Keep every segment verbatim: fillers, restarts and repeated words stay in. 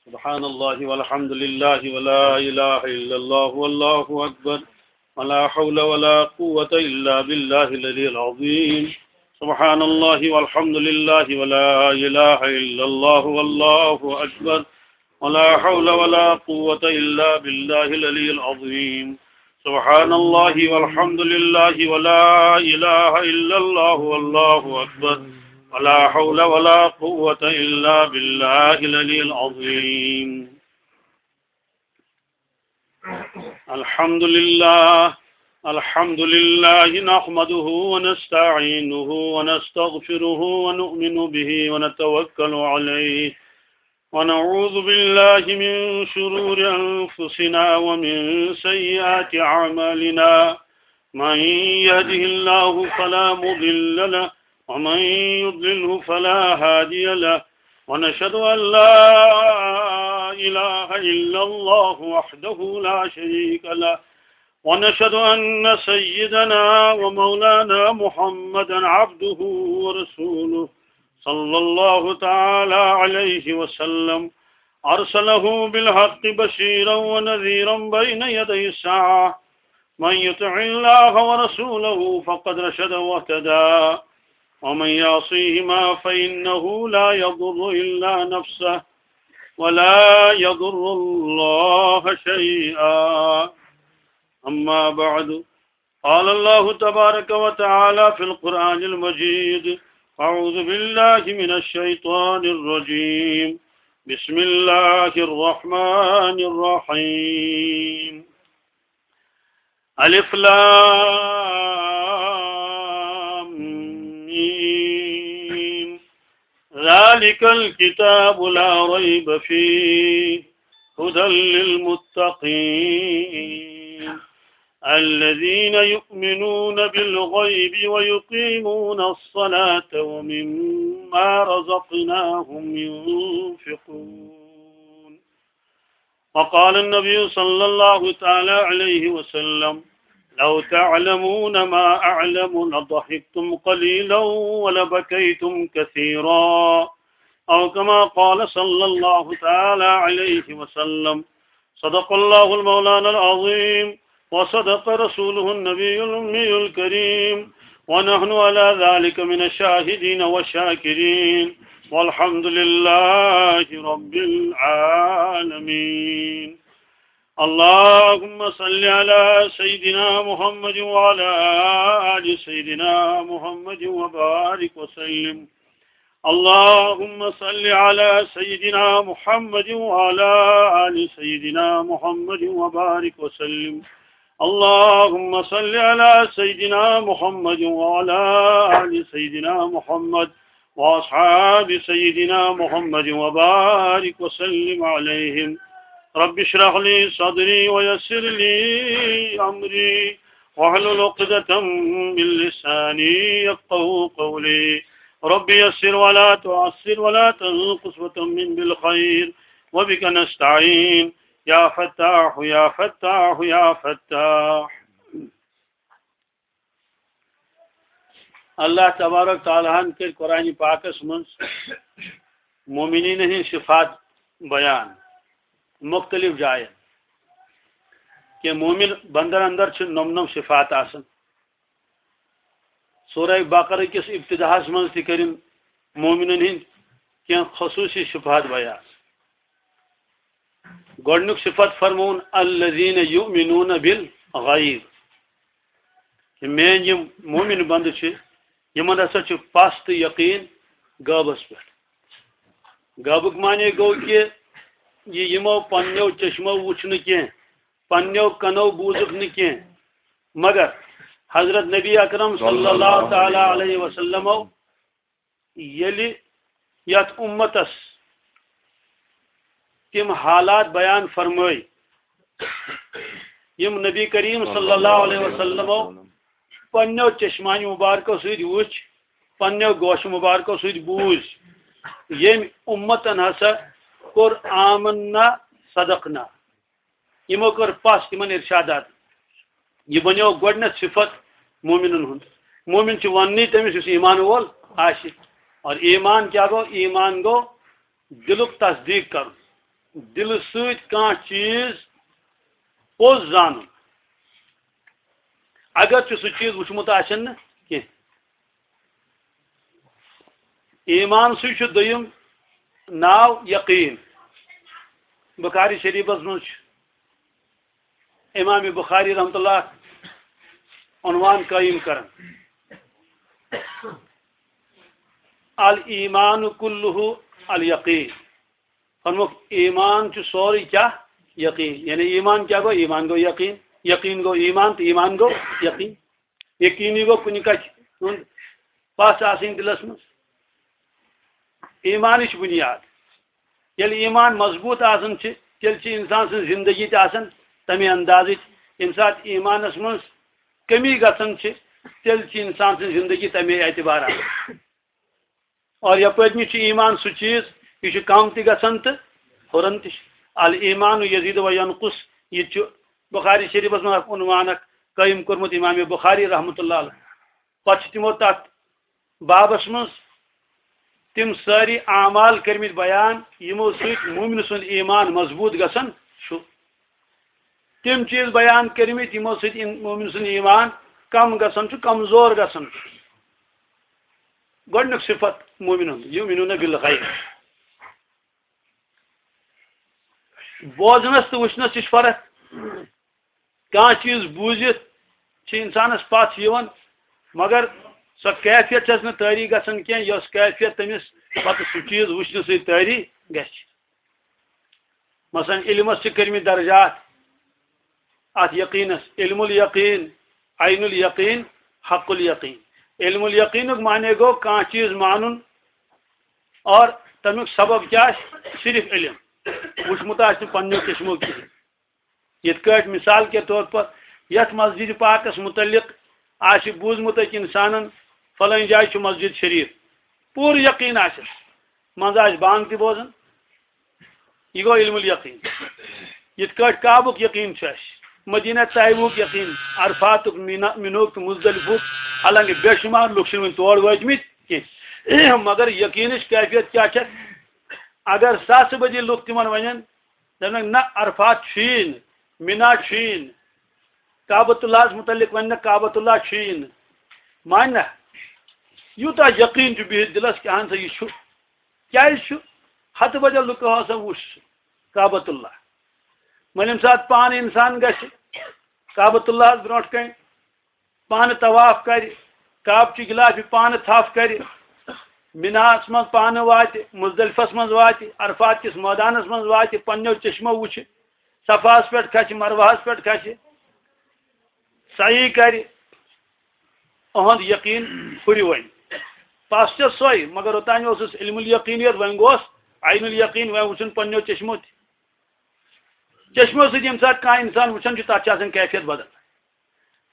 سبحان الله والحمد لله ولا إله إلا الله والله أكبر، ولا حول ولا قوة إلا بالله العلي العظيم. سبحان الله والحمد لله ولا إله إلا الله والله أكبر، ولا حول ولا قوة إلا بالله العلي العظيم. سبحان الله والحمد لله ولا إله إلا الله والله أكبر، ولا حول ولا قوة إلا بالله العلي العظيم. الحمد لله. الحمد لله نحمده ونستعينه ونستغفره ونؤمن به ونتوكل عليه، ونعوذ بالله من شرور أنفسنا ومن سيئات أعمالنا. من يهده الله فلا مضل له، ومن يضلله فلا هادي له. ونشهد أن لا إله إلا الله وحده لا شريك له، ونشهد أن سيدنا ومولانا محمدا عبده ورسوله، صلى الله تعالى عليه وسلم، أرسله بالحق بشيرا ونذيرا بين يدي الساعة. من يطع الله ورسوله فقد رشد واهتدى، ومن يعصيهما فإنه لا يضر إلا نفسه ولا يضر الله شيئا. أما بعد، قال الله تبارك وتعالى في القرآن المجيد: أعوذ بالله من الشيطان الرجيم. بسم الله الرحمن الرحيم. ألف لام ميم. ذلك الكتاب لا ريب فيه، هدى للمتقين، الذين يؤمنون بالغيب ويقيمون الصلاة ومما رزقناهم ينفقون. وقال النبي صلى الله تعالى عليه وسلم: لو تعلمون ما أعلم لضحكتم قليلا ولبكيتم كثيرا، أو كما قال صلى الله تعالى عليه وسلم. صدق الله المولانا العظيم، وصدق رسوله النبي الأمي الكريم، ونحن على ذلك من الشاهدين والشاكرين، والحمد لله رب العالمين. اللهم صل على سيدنا محمد وعلى آل سيدنا محمد وبارك وسلم. اللهم صل على سيدنا محمد وعلى آل سيدنا محمد وبارك وسلم. اللهم صل على سيدنا محمد وعلى آل سيدنا محمد وأصحاب سيدنا محمد وبارك وسلم عليهم. رب اشرح لي صدري ويسر لي أمري واحلل عقدة من لساني يفقهوا قولي. رب يسر ولا تعسر ولا تنقص وتمم بالخير، وبك نستعين. يا فتاح، يا فتاح، يا فتاح. اللہ تبارک تعالیٰ ہن کٔرۍ قرآن پاکس منٛز مومنین ہٕنٛدۍ صفات بیان مختلف جاین۔ کہ مومن بندن اندر چھِ نۄم نۄم صفات آسان۔ سورہ بقرہ کِس ابتداہس منٛز تہِ کٔرِن مومنن ہٕنٛدۍ کینٛہہ خصوٗصی صفات بیان۔ گۄڈٕنیُک صفت فرمووُن، الذین یؤمنون بالغیب، کہ میٲنۍ یِم مومن بندٕ چھِ، یِمن ہسا چھُ پَژھ تہٕ یقیٖن غٲبس پٮ۪ٹھ۔ غٲبُک معنی گوٚو کہِ یہِ یِمو پننیو چشمو وُچھ نہٕ کینٛہہ، پننیو کنو بوٗزُکھ نہٕ کینٛہہ، مگر حضرت نبی اکرم صلی اللہ تعالیٰ علیہ وسلمو ییٚلہِ یتھ امتس تِم حالات بیان فرمٲے، یِم نبی کریم صلی اللہ علیہ وسلمو پننیو چشمانہِ مبارکو سۭتۍ وُچھ، پننیو گوشہِ مبارکو سۭتۍ بوٗز، ییٚمۍ امتن ہسا کوٚر آمنا صدقنا۔ یِمو کٔر پَژھ تِمن ارشادات۔ یہِ بنیو گۄڈٕنیتھ صفت مومنن ہُنٛد۔ مومن چھُ وننٕے تٔمِس یُس ایمان وول آسہِ۔ اور ایمان کیا گو؟ ایمان گو دلک تصدیق کرن، دل سۭتۍ کانٛہہ چیز پوٚز زانن۔ اگر ژےٚ سُہ چیز وٕچھمُت آسن نہٕ کینٛہہ۔ ایمان سٕے چھُ دوٚیِم ناو یقین۔ بخاری شریفس منٛز چھُ امام بخاری رحمۃ اللہ عنوان قائم کران، الایمان کلہ الیقین۔ فرموک، ایمان چھُ سورُے کیٛاہ؟ یقین۔ یعنی ایمان کیٛاہ گوٚو؟ ایمان گوٚو یقین۔ یقین گوٚو ایمان تہٕ ایمان گوٚو یقین۔ یقینی گوٚو کُنہِ کتھِ ہُنٛد پژھ آسٕنۍ دِلس منٛز۔ ایمانٕچ بُنیاد۔ ییٚلہِ ایمان مضبوٗط آسان چھِ، تیٚلہِ چھِ انسان سٕنٛز زندگی تہِ آسان تمے اندازٕچ۔ ییٚمہِ ساتہٕ ایمانس منٛز کمی گژھان چھِ، تیٚلہِ چھِ انسان سٕنٛز زندگی تمے اعتبار آسان۔ اور یپٲرۍ کِنۍ چھُ ایمان سُہ چیز، یہِ چھُ کم تہِ گژھان تہٕ ہُران تہِ چھُ۔ الایمان یزید و ینقص، یہِ تہِ چھُ بخاری شریفس منٛز اکھ عنوان اکھ قٲیِم کوٚرمُت امام بخاری رحمۃ اللہ علیہ۔ پتہٕ چھِ تِمو تتھ بابس منٛز تِم سٲری اعمال کٔرمٕتۍ بیان، یِمو سۭتۍ مومنہٕ سُنٛد ایمان مضبوٗط گژھان چھُ۔ تِم چیٖز بیان کٔرمٕتۍ، یِمو سۭتۍ اِن-، مومن سُنٛد ایمان کم گژھان چھُ، کمزور گژھان چھُ۔ گۄڈٕنیُک صفت مومن ہُنٛد، یؤمنون بالغیب۔ بوزنس تہٕ وٕچھنس تہِ چھِ فرق۔ کانٛہہ چیٖز بوٗزِتھ چھِ انسانس پژھ یِوان، مگر سۄ کیفیت چھس نہٕ طٲری گژھان کینٛہہ، یۄس کیفیت تٔمِس پتہٕ سُہ چیٖز وٕچھنہٕ سۭتۍ طٲری گژھِ۔ مثلاً علمس چھِ کٔرمٕتۍ درجات، اتھ یقینس، علم الیقین، عین الیقین، حق الیقین۔ علم الیقینُک معنی گوٚو کانٛہہ چیٖز مانُن اور تمیُک سبب کیٛاہ آسہِ؟ صرف علم، وٕچھمُت آسہِ نہٕ پننیو چشمو کِہیٖنۍ۔ یِتھ کٲٹھۍ مثال کے طور پر یتھ مسجد پاکس متعلق آسہِ بوٗزمُت أکۍ انسانن، فلٲنۍ جایہِ چھُ مسجد شریف، پوٗرٕ یقین آسٮ۪س، منٛزٕ آسہِ بانگ تہِ بوزان، یہِ گوٚو علم الیقین۔ یِتھ کٲٹھۍ کعبُک یقین چھُ اَسہِ، مدینہ طیبُک یقین، عرفاتُک، مینا، مِنہُک تہٕ مزدلفُک، حالانکہ بے شمار لُکھ چھِنہٕ وُنہِ تور وٲتمٕتۍ کینٛہہ۔ مگر یقینٕچ کیفیت کیٛاہ چھےٚ؟ اگر ساسہٕ بٔدی لُکھ تِمن ونن، دپنکھ، نہ، عرفات چھُیی نہٕ، مینا چھُیی نہٕ، کعبۃ اللہس متعلق وننکھ، کعبۃ اللہ چھُیی نہٕ، مانہِ نہ؟ یوٗتاہ یقین چھُ بِہِتھ دِلس کہِ اہن سا یہِ چھُ۔ کیٛازِ چھُ؟ ہتہٕ بجا لُکو ہسا وُچھ سُہ کعبۃ اللہ۔ وۄنۍ ییٚمہِ ساتہٕ پانہٕ انسان گژھِ کعبۃ اللہس برونٛٹھ کنہِ، پانہٕ طواف کرِ، کعبہٕ چہِ غلافہِ پانہٕ تھپھ کرِ، مِناہس منٛز پانہٕ واتہِ، مزدلفس منٛز واتہِ، عرفات کِس مٲدانس منٛز واتہِ، پننیو چشمو وٕچھِ، صفاہس پٮ۪ٹھ کھسہِ، مروہس پٮ۪ٹھ کھسہِ، سعی کرِ، اُہُنٛد یقین ہُرِ وۄنۍ۔ پس چھےٚ سۄے، مگر اوٚتام اوسُس علم الیقینیت، وۄنۍ گوس عین الیقین، وۄنۍ وٕچھُن پننیو چشمو تہِ۔ چشمو سۭتۍ ییٚمہِ ساتہٕ کانٛہہ انسان وٕچھان چھُ، تتھ چھِ آسان کیفیت بدل۔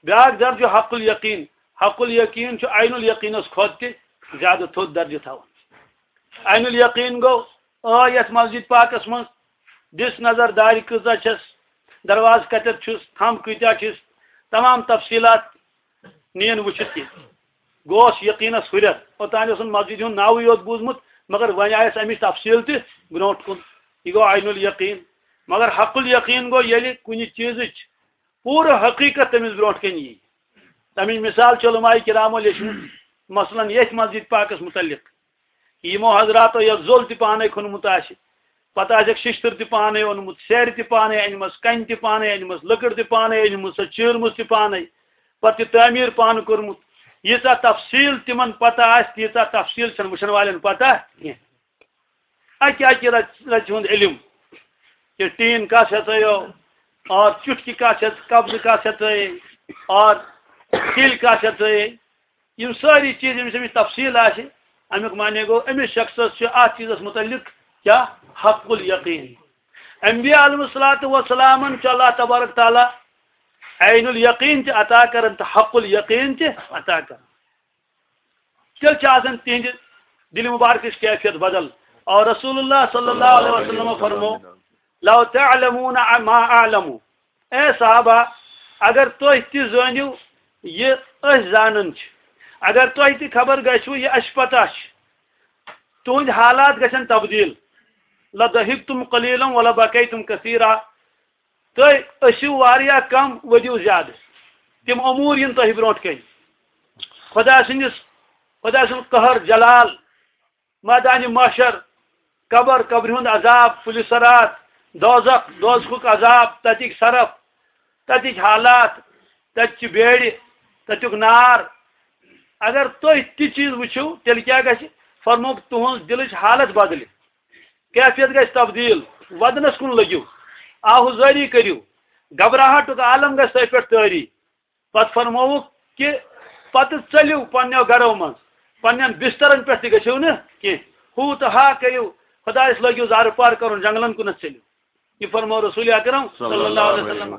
بیٛاکھ درجہٕ حق الیقین۔ حق الیقین چھُ عین الیقینس کھۄتہٕ تہِ زیادٕ تھوٚد درجہٕ تھاوان۔ عین الیقین گوٚو، آ، یتھ مسجد پاکس منٛز دِژ نظر، دارِ کۭژاہ چھس، دروازٕ کتٮ۪تھ چھُس، تھم کۭتیاہ چھِس، تمام تفصیلات نِیَن وٕچھِتھ تہِ۔ گوس یقینس ہُرٮ۪ر۔ اوٚتام اوسُن مسجد ہُنٛد ناوٕے یوت بوٗزمُت، مگر وۄنۍ آیس امِچ تفصیل تہِ برونٛٹھ کُن۔ یہِ گوٚو عین الیقین۔ مگر حق الیقین گوٚو، ییٚلہِ کُنہِ چیٖزٕچ پوٗرٕ حقیٖقت تٔمِس برونٛٹھ کَنہِ یی۔ تَمِچ مثال چھِ علماء کرامو لیٚچھمٕژ، مثلاً ییٚتھۍ مسجد پاکس متعلق۔ یِمو حضراتو یَتھ زوٚل تہِ پانَے کھوٚنمُت آسہِ، پتہٕ آسٮ۪کھ شِشتٕر تہِ پانَے اوٚنمُت، سیرِ تہِ پانَے أنمٕژ، کَنہِ تہِ پانَے أنمٕژ، لٔکٕر تہِ پانَے أنمٕژ، سۄ چیٖرمٕژ تہِ پانَے، پتہٕ تہِ تعمیٖر پانہٕ کوٚرمُت۔ ییٖژاہ تفصیٖل تِمن پتہ آسہِ، تیٖژاہ تفصیٖل چھَنہٕ وٕچھن والٮ۪ن پتہ کینٛہہ۔ اَکہِ اَکہِ رژ-، رژِ ہُنٛد علم، یہِ ٹیٖن کَس ہٮ۪ژٲیو، اور چُٹھکہِ کَس ہٮ۪ژ، قبضہٕ کَس ہٮ۪ژٲیے، اور تِلۍ کَس ہٮ۪ژٲیے، یِم سٲری چیٖز، ییٚمِس أمِس تفصیٖل آسہِ، اَمیُک معنی گوٚو، أمِس شخصس چھُ اَتھ چیٖزس مُتعلِق کیٛاہ؟ حق الیقین۔ انبیاء علیہ الصلوۃ والسلامن چھُ اللہ تبارک تعالیٰ عین الیقین تہِ عطا کران تہٕ حق الیقین تہِ عطا کران۔ تیٚلہِ چھِ آسان تِہنٛدِ دِلہِ مُبارکٕچ کیفیت بدل۔ اور رسول اللہ صلی اللہ علیہ وسلم فرمو، "لو تعلمون ما اعلم"، اے صحابہ، اگر تُہۍ تہِ زٲنِو یہِ أسۍ زانان چھِ، اگر تۄہہِ تہِ خبر گژھِوٕ یہِ اَسہِ پتہ چھِ، تُہٕنٛدۍ حالات گژھن تبدیٖل۔ لَضَحِكْتُمْ قَلِيلًا وَلَبَكَيْتُمْ كَثِيرًا۔ تُہۍ ٲسِو واریاہ کم، ؤدِو زیادٕ۔ تِم امور یِن تۄہہِ برونٛٹھ کَنہِ۔ خۄدا سٕنٛدِس، خۄدا سُنٛد قہر جلال، میدانِ محشر، قبر، قبرِ ہُنٛد عذاب، پُلہِ صراط، دوزخ، دوزخُک عذاب، تَتِکۍ صرف، تَتِکۍ حالات، تَتہِ چہِ بیرِ، تَتیُک نار۔ اگر تُہۍ تہِ چیٖز وٕچھِو، تیٚلہِ کیٛاہ گژھِ؟ فرمووُکھ، تُہٕنٛز دِلٕچ حالت بدلہِ، کیفیت گژھِ تبدیٖل، ودنَس کُن لٔگِو، آہوزٲری کٔرِو، گھبراہٹُک عالم گژھِ تۄہہِ پٮ۪ٹھ طٲری۔ پتہٕ فرمووُکھ کہِ پتہٕ ژٔلِو پننیو گرو منٛز، پننٮ۪ن بسترن پٮ۪ٹھ تہِ گٔژھِو نہٕ کینٛہہ۔ ہُہ تہٕ ہا کٔرِو، خۄدایس لٲگِو زارٕ پار کرُن، جنگلن کُنتھ ژٔلِو۔ یہِ فرموو رسول اکرم صلی اللہ علیہ وسلم۔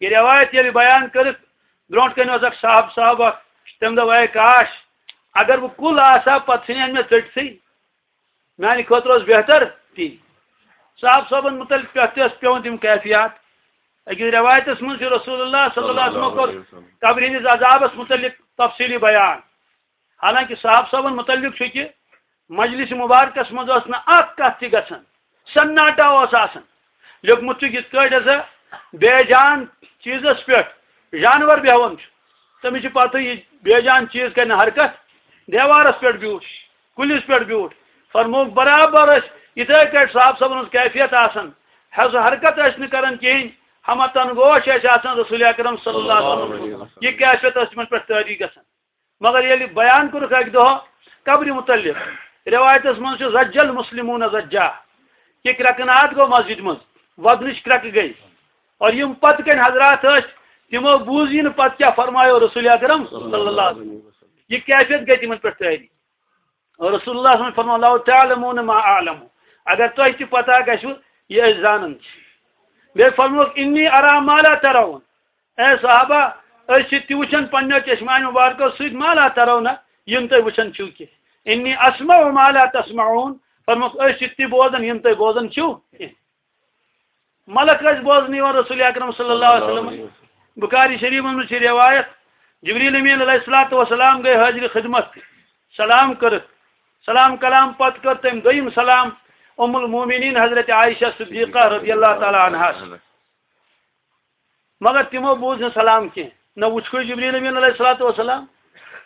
یہِ روایت ییٚلہِ بیان کٔرٕکھ، برونٛٹھ کنہِ اوس اکھ صاحب صاحب اکھ، تٔمۍ دوٚپ، "اے کاش، اگر بہٕ کُل آسہٕ ہا، پتہٕ ژھٕنہِ ہن مےٚ ژٔٹتھٕے۔" میانہِ خٲطرٕ اوس بہتر تی۔ صاحب صٲبن متعلق پٮ۪ٹھ تہِ ٲس پٮ۪وان تِم کیفیات۔ أکِس رٮ۪وایتس منٛز چھُ رسول اللہ صلی اللہ علیہ وسلم کوٚر قبرِ ہٕنٛدِس عذابس متعلق تفصیٖلی بیان۔ حالانکہ صاحب صٲبن متعلق چھُ کہِ مجلس مبارکس منٛز ٲس نہٕ اکھ کتھ تہِ گژھان، سناٹا اوس آسان۔ لیوٚکھمُت چھُ یِتھ کٲٹھۍ ہسا بے جان چیٖزس پٮ۪ٹھ جانور بیہوان چھُ، تٔمِس چھِ پتہٕ یہِ بے جان چیٖز کرِ نہٕ حرکت، دیوارس پٮ۪ٹھ بیوٗٹھ، کُلِس پٮ۪ٹھ بیوٗٹھ۔ فرمووُکھ، برابر ٲسۍ یِتھے کٲٹھۍ صاحب صٲبن ہٕنٛز کیفیت آسان، حظ حرکت ٲسۍ نہٕ کران کِہیٖنۍ، ہمہ تنگوش ٲسۍ آسان رسول اکرم صلی اللہ علیہ وسلم۔ یہِ کیفیت ٲس تِمن پٮ۪ٹھ طٲری گژھان۔ مگر ییٚلہِ بیان کوٚرُکھ اکہِ دۄہ قبرِ متعلق، رٮ۪وایتس منٛز چھُ، "زج المسلمون زجا"، کہِ کرٛٮ۪کہٕ ناد گوٚو مسجد منٛز، ودنٕچ کرٛٮ۪کہٕ گٔے۔ اور یِم پتہٕ کَنہِ حضرات ٲسۍ، تِمو بوٗز یہِ نہٕ پتہٕ کیٛاہ فرمایو رسول اکرم صلی اللہ علیہ وسلم۔ یہِ کیفیت گٔے تِمن پٮ۪ٹھ طٲری۔ اور رسول اللہ صلی اللہ علیہ وسلم فرموو، "لو تعلمون ما اعلم"، اگر تۄہہِ تہِ پتہ گژھِوٕ یہِ أسۍ زانان چھِ۔ بیٚیہِ فرمووُکھ، "انی ارا ما لا ترون"، اے صحابہ، أسۍ چھِ تہِ وٕچھان پننیو چشمانیو مبارکو سۭتۍ، "ما لا ترون"، یِم تُہۍ وٕچھان چھِو کینٛہہ۔ "انی اسمع ما لا تسمعون"، فرمووُکھ، أسۍ چھِ تہِ بوزان یِم تُہۍ بوزان چھِو کینٛہہ۔ ملک ٲسۍ بوزنہٕ یِوان رسول اکرم صلی اللہ علیہ وسلم۔ بخاری شریفس منٛز چھِ روایت، جبریل امین علیہ الصلوۃ والسلام گٔے حٲضرِ خدمت، سلام کٔرٕکھ۔ سلام کلام پتہٕ کٔر تٔمۍ دوٚیِم سلام ام المومنین حضرت عائشہ صدیقہ رضی اللہ تعالیٰ عنہاس۔ مگر تِمو بوٗز نہٕ سلام کینٛہہ، نہ وُچھکھٕے جبریل امین علیہ الصلوۃ والسلام۔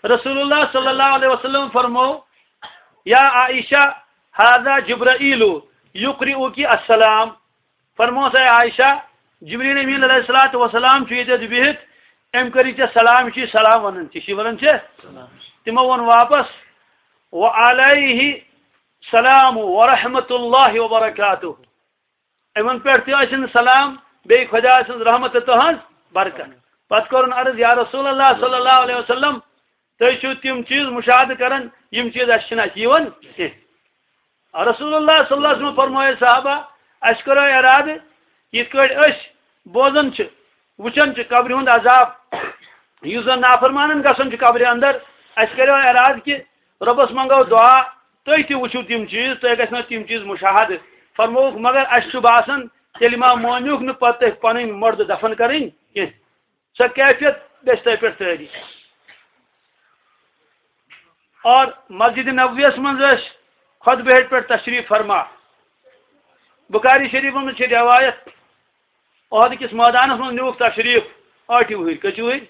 رسول اللہ صلی اللہ علیہ وسلم فرموو، "یا عائشہ، هذا جبرائیل یقرئک السلام"۔ فرموس، "اے عائشہ، جبریل امین علیہ الصلوۃ والسلام چھُ ییٚتٮ۪تھ بِہِتھ، أمۍ کٔرِتھ ژےٚ سلام، یہِ چھُے سلام وَنان، ژےٚ چھُے وَنان ژےٚ؟" تِمو ووٚن واپس، "وعلیہ سلام ورحمۃ اللہ وبرکاتہ"۔ یِمن پٮ۪ٹھ تہِ ٲسِن سلام، بیٚیہِ خۄدا سٕنٛز رحمت تہٕ تُہنٛز برکت۔ پتہٕ کوٚرُن عرض، "یا رسول اللہ صلی اللہ علیہ وسلم، تُہۍ چھِو تِم چیٖز مُشاہدٕ کران، یِم چیٖز اَسہِ چھِنہٕ اَتھِ یِوان کینٛہہ۔" رسول اللہ صلی اللہ علیہ وسلم فرمٲے، صحابہ، اَسہِ کوٚر ارادٕ، یِتھ کٲٹھۍ أسۍ بوزان چھِ، وٕچھان چھِ قبرِ ہُنٛد عذاب، یُس زن نافرمانن گژھان چھُ قبرِ اندر، اَسہِ کریو ارادٕ کہِ رۄبس منٛگو دُعا، تُہۍ تہِ وٕچھِو تِم چیٖز، تۄہہِ گژھِ نہ تِم چیٖز مُشاہدٕ۔ فرمووُکھ، مگر اَسہِ چھُ باسان، تیٚلہِ ما مٲنِوُکھ نہٕ پتہٕ تُہۍ پنٕنۍ مُردٕ دفن کرٕنۍ کینٛہہ۔ سۄ کیفیت گژھِ تۄہہِ پٮ۪ٹھ طٲری۔ اور مسجد نبویس منٛز ٲسۍ خطبہٕ ہیٚٹہِ پٮ۪ٹھ تشریف فرما۔ بخاری شریفس منٛز چھِ روایت، احد کِس مٲدانس منٛز نیوٗکھ تشریف ٲٹھِ وُہٕرۍ، کٔژِ وُہٕرۍ؟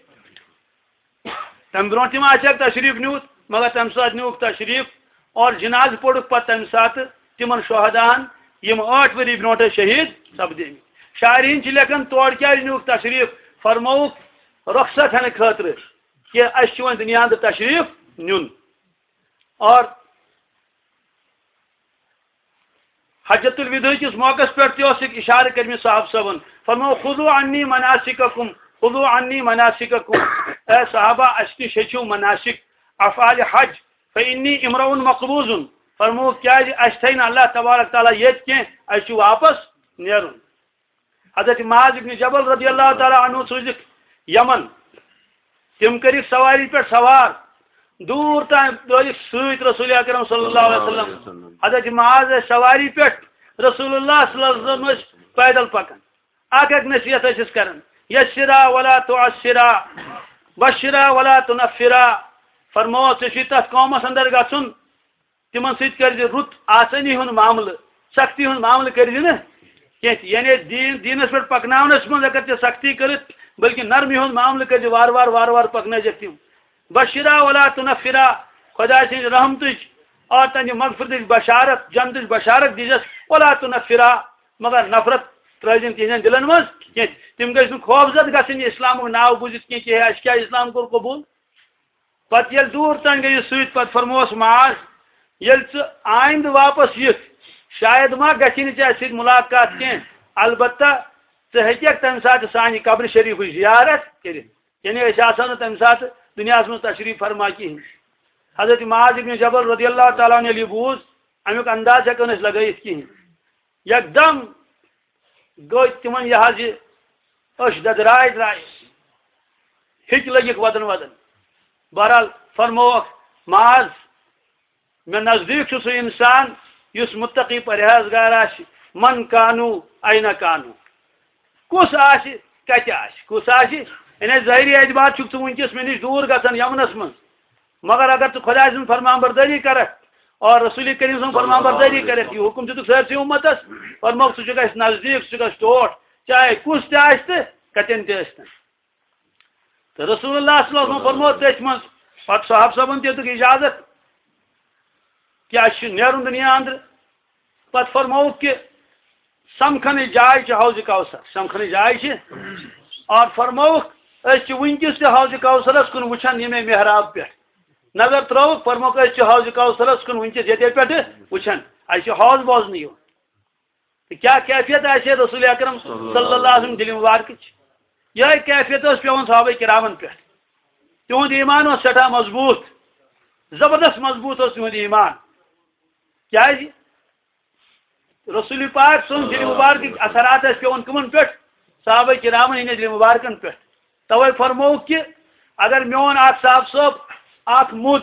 تَمہِ برونٛٹھ تہِ ما آسہِ ہا تشریٖف نیوٗت، مگر تَمہِ ساتہٕ نیوٗکھ تشریٖف اور جنازٕ پوٚرُکھ پتہٕ تَمہِ ساتہٕ تِمن شہداہن، یِم ٲٹھ ؤری برونٛٹھے شہیٖد سپدیمٕتۍ۔ شارحیٖن چھِ لیکھان، تور کیازِ نیوٗکھ تشریٖف؟ فرمووُکھ رۄخصت ہٮ۪نہٕ خٲطرٕ کہِ اَسہِ چھُ وۄنۍ دُنیا اندر تشریٖف نیُن۔ اور حجۃ الوداع کِس موقعس پٮ۪ٹھ تہِ اوس یہِ اشارٕ کٔرمٕتۍ صاحب صٲبن، فرموو، "خذوا عنی مناسککم، خذوا عنی مناسککم"، اے صحابہ، اَسہِ نِش ہیٚچھِو مناسک، افعال حج، "فانی امرؤ مقبوض"، فرموو، کیازِ اَسہِ تھایہِ نہٕ اللہ تبارک تعالیٰ ییٚتہِ کینٛہہ، اَسہِ چھُ واپس نیرُن۔ حضرت معاذ ابن جبل رضی اللہ تعالیٰ عنہ سوٗزِکھ یمن۔ تِم کٔرِکھ سوارِ پٮ۪ٹھ سوار، دوٗر تام لٲگِکھ سۭتۍ رسول اکرم صلی اللہ علیہ وسلم۔ حضرت معاذ ٲسۍ سوارِ پٮ۪ٹھ، رسول اللہ صلی اللہ علیہ وسلم ٲسۍ پیدل پکان۔ اکھ اکھ نصیحت ٲسِس کران، "یسرا ولا تعسرا، بشرا ولا تنفرا"۔ فرموو، ژےٚ چھُے تتھ قومس اندر گژھُن، تِمن سۭتۍ کٔرۍ زِ رُت آسٲنی ہُنٛد معاملہٕ، سختی ہُنٛد معاملہٕ کٔرۍ زِ نہٕ کینٛہہ تہِ۔ یعنی دیٖن، دیٖنس پٮ۪ٹھ پکناونس منٛز اگر ژےٚ سختی کٔرٕتھ، بلکہِ نرمی ہُنٛد معاملہٕ کٔرۍ زِ وارٕ وارٕ، وارٕ وارٕ پکنٲوزٮ۪کھ تِم۔ بشرا ولا تنفرا، خۄداے سٕنٛز رحمتٕچ اور تہنٛدِ مغفرتٕچ بشارت، جنتٕچ بشارت دیٖزٮ۪س، ولا تنفرا، مگر نفرت ترٲوزِ نہٕ تِہنٛدٮ۪ن دِلن منٛز کینٛہہ۔ تِم گٔژھۍ نہٕ خوفزد گژھٕنۍ اسلامُک ناو بوٗزِتھ کینٛہہ کہِ ہے، اسہِ کیٛاہ اسلام کوٚر قبوٗل۔ پتہٕ ییٚلہِ دوٗر تام گٔیہِ سۭتۍ، پتہٕ فرمووس معاذ، ییٚلہِ ژٕ آیندٕ واپس یِکھ، شاید ما گژھِ نہٕ ژےٚ اَسہِ سۭتۍ مُلاقات کینٛہہ، البتہ ژٕ ہیٚککھ تَمہِ ساتہٕ سانہِ قبرِ شریٖفٕچ زیارت کٔرِتھ۔ یعنی أسۍ آسو نہٕ تَمہِ ساتہٕ دُنیاہَس منٛز تشریٖف فرما کِہیٖنۍ۔ حضرت معاذ ابن جبل رضی اللہ تعالیٰ عنہ ییٚلہِ یہِ بوٗز، اَمیُک انداز ہٮ۪کو نہٕ أسۍ لگٲیِتھ کِہیٖنۍ۔ یکدم گوٚو تِمن یہِ حظ یہِ أچھ دٔدراے درٛاے، ہیٚکۍ لٔگِکھ وَدُن وَدُن۔ بہرحال فرمووکھ، معاذ، مےٚ نزدیٖک چھُ سُہ اِنسان یُس مُتقی پرہیزگار آسہِ، من کانو، اَینہ کانو۔ کُس آسہِ، کَتہِ آسہِ، کُس آسہِ؟ یعنی ظٲہری اعتبار چھُکھ ژٕ وٕنکیٚس مےٚ نِش دوٗر گژھان یمنس منٛز، مگر اگر ژٕ خۄداے سٕنٛز فرمان بردٲری کرکھ اور رسول کریم سٕنٛز فرمان بردٲری کرکھ، یہِ حُکم دِتُکھ سٲرسٕے اُمتس، فرمووُکھ، ژٕ چھُکھ اَسہِ نزدیٖک، ژٕ چھُکھ اَسہِ ٹوٹھ، چاہے کُس تہِ آسہِ تہٕ کَتٮ۪ن تہِ ٲسۍ تن۔ تہٕ رسول اللہ صلی اللہ علیہ وسلم فرموو تٔتھۍ منٛز، پتہٕ صحابہٕ صٲبن تہِ دیُتُکھ اجازت کہِ اَسہِ چھُ نیرُن دُنیا اندرٕ۔ پتہٕ فرمووُکھ کہِ سمکھنٕچ جاے چھِ حوض کوثر، سمکھنٕچ جاے چھِ۔ اور فرمووُکھ، أسۍ چھِ وٕنکیٚس تہِ حوض کوثرس کُن وٕچھان ییٚمے محراب پٮ۪ٹھ۔ نظر ترٲوٕکھ، فرمووُکھ، أسۍ چھِ حوض کوثرس کُن وٕنکیٚس ییٚتے پٮ۪ٹھٕ وٕچھان، اَسہِ چھُ حوض بوزنہٕ یِوان۔ تہٕ کیٛاہ کیفیت آسہِ ہے رسول اکرم صلی اللہ علیہ وسلم دِلہِ مبارکٕچ؟ یِہوٚے کیفیت ٲس پٮ۪وان صحابہ کرامن پٮ۪ٹھ۔ تِہُنٛد ایمان اوس سٮ۪ٹھاہ مضبوٗط، زبردست مضبوٗط اوس تِہُنٛد ایمان۔ کیٛازِ؟ رسول پاک سٕنٛز دِلہِ مبارکٕکۍ اثرات ٲسۍ پٮ۪وان کٕمن پٮ۪ٹھ؟ صحابہ کرامن ہٕنٛدِ دِلہِ مبارکن پٮ۪ٹھ۔ توے فرمووُکھ کہِ اگر میون اکھ صاحب صٲب اکھ مُد،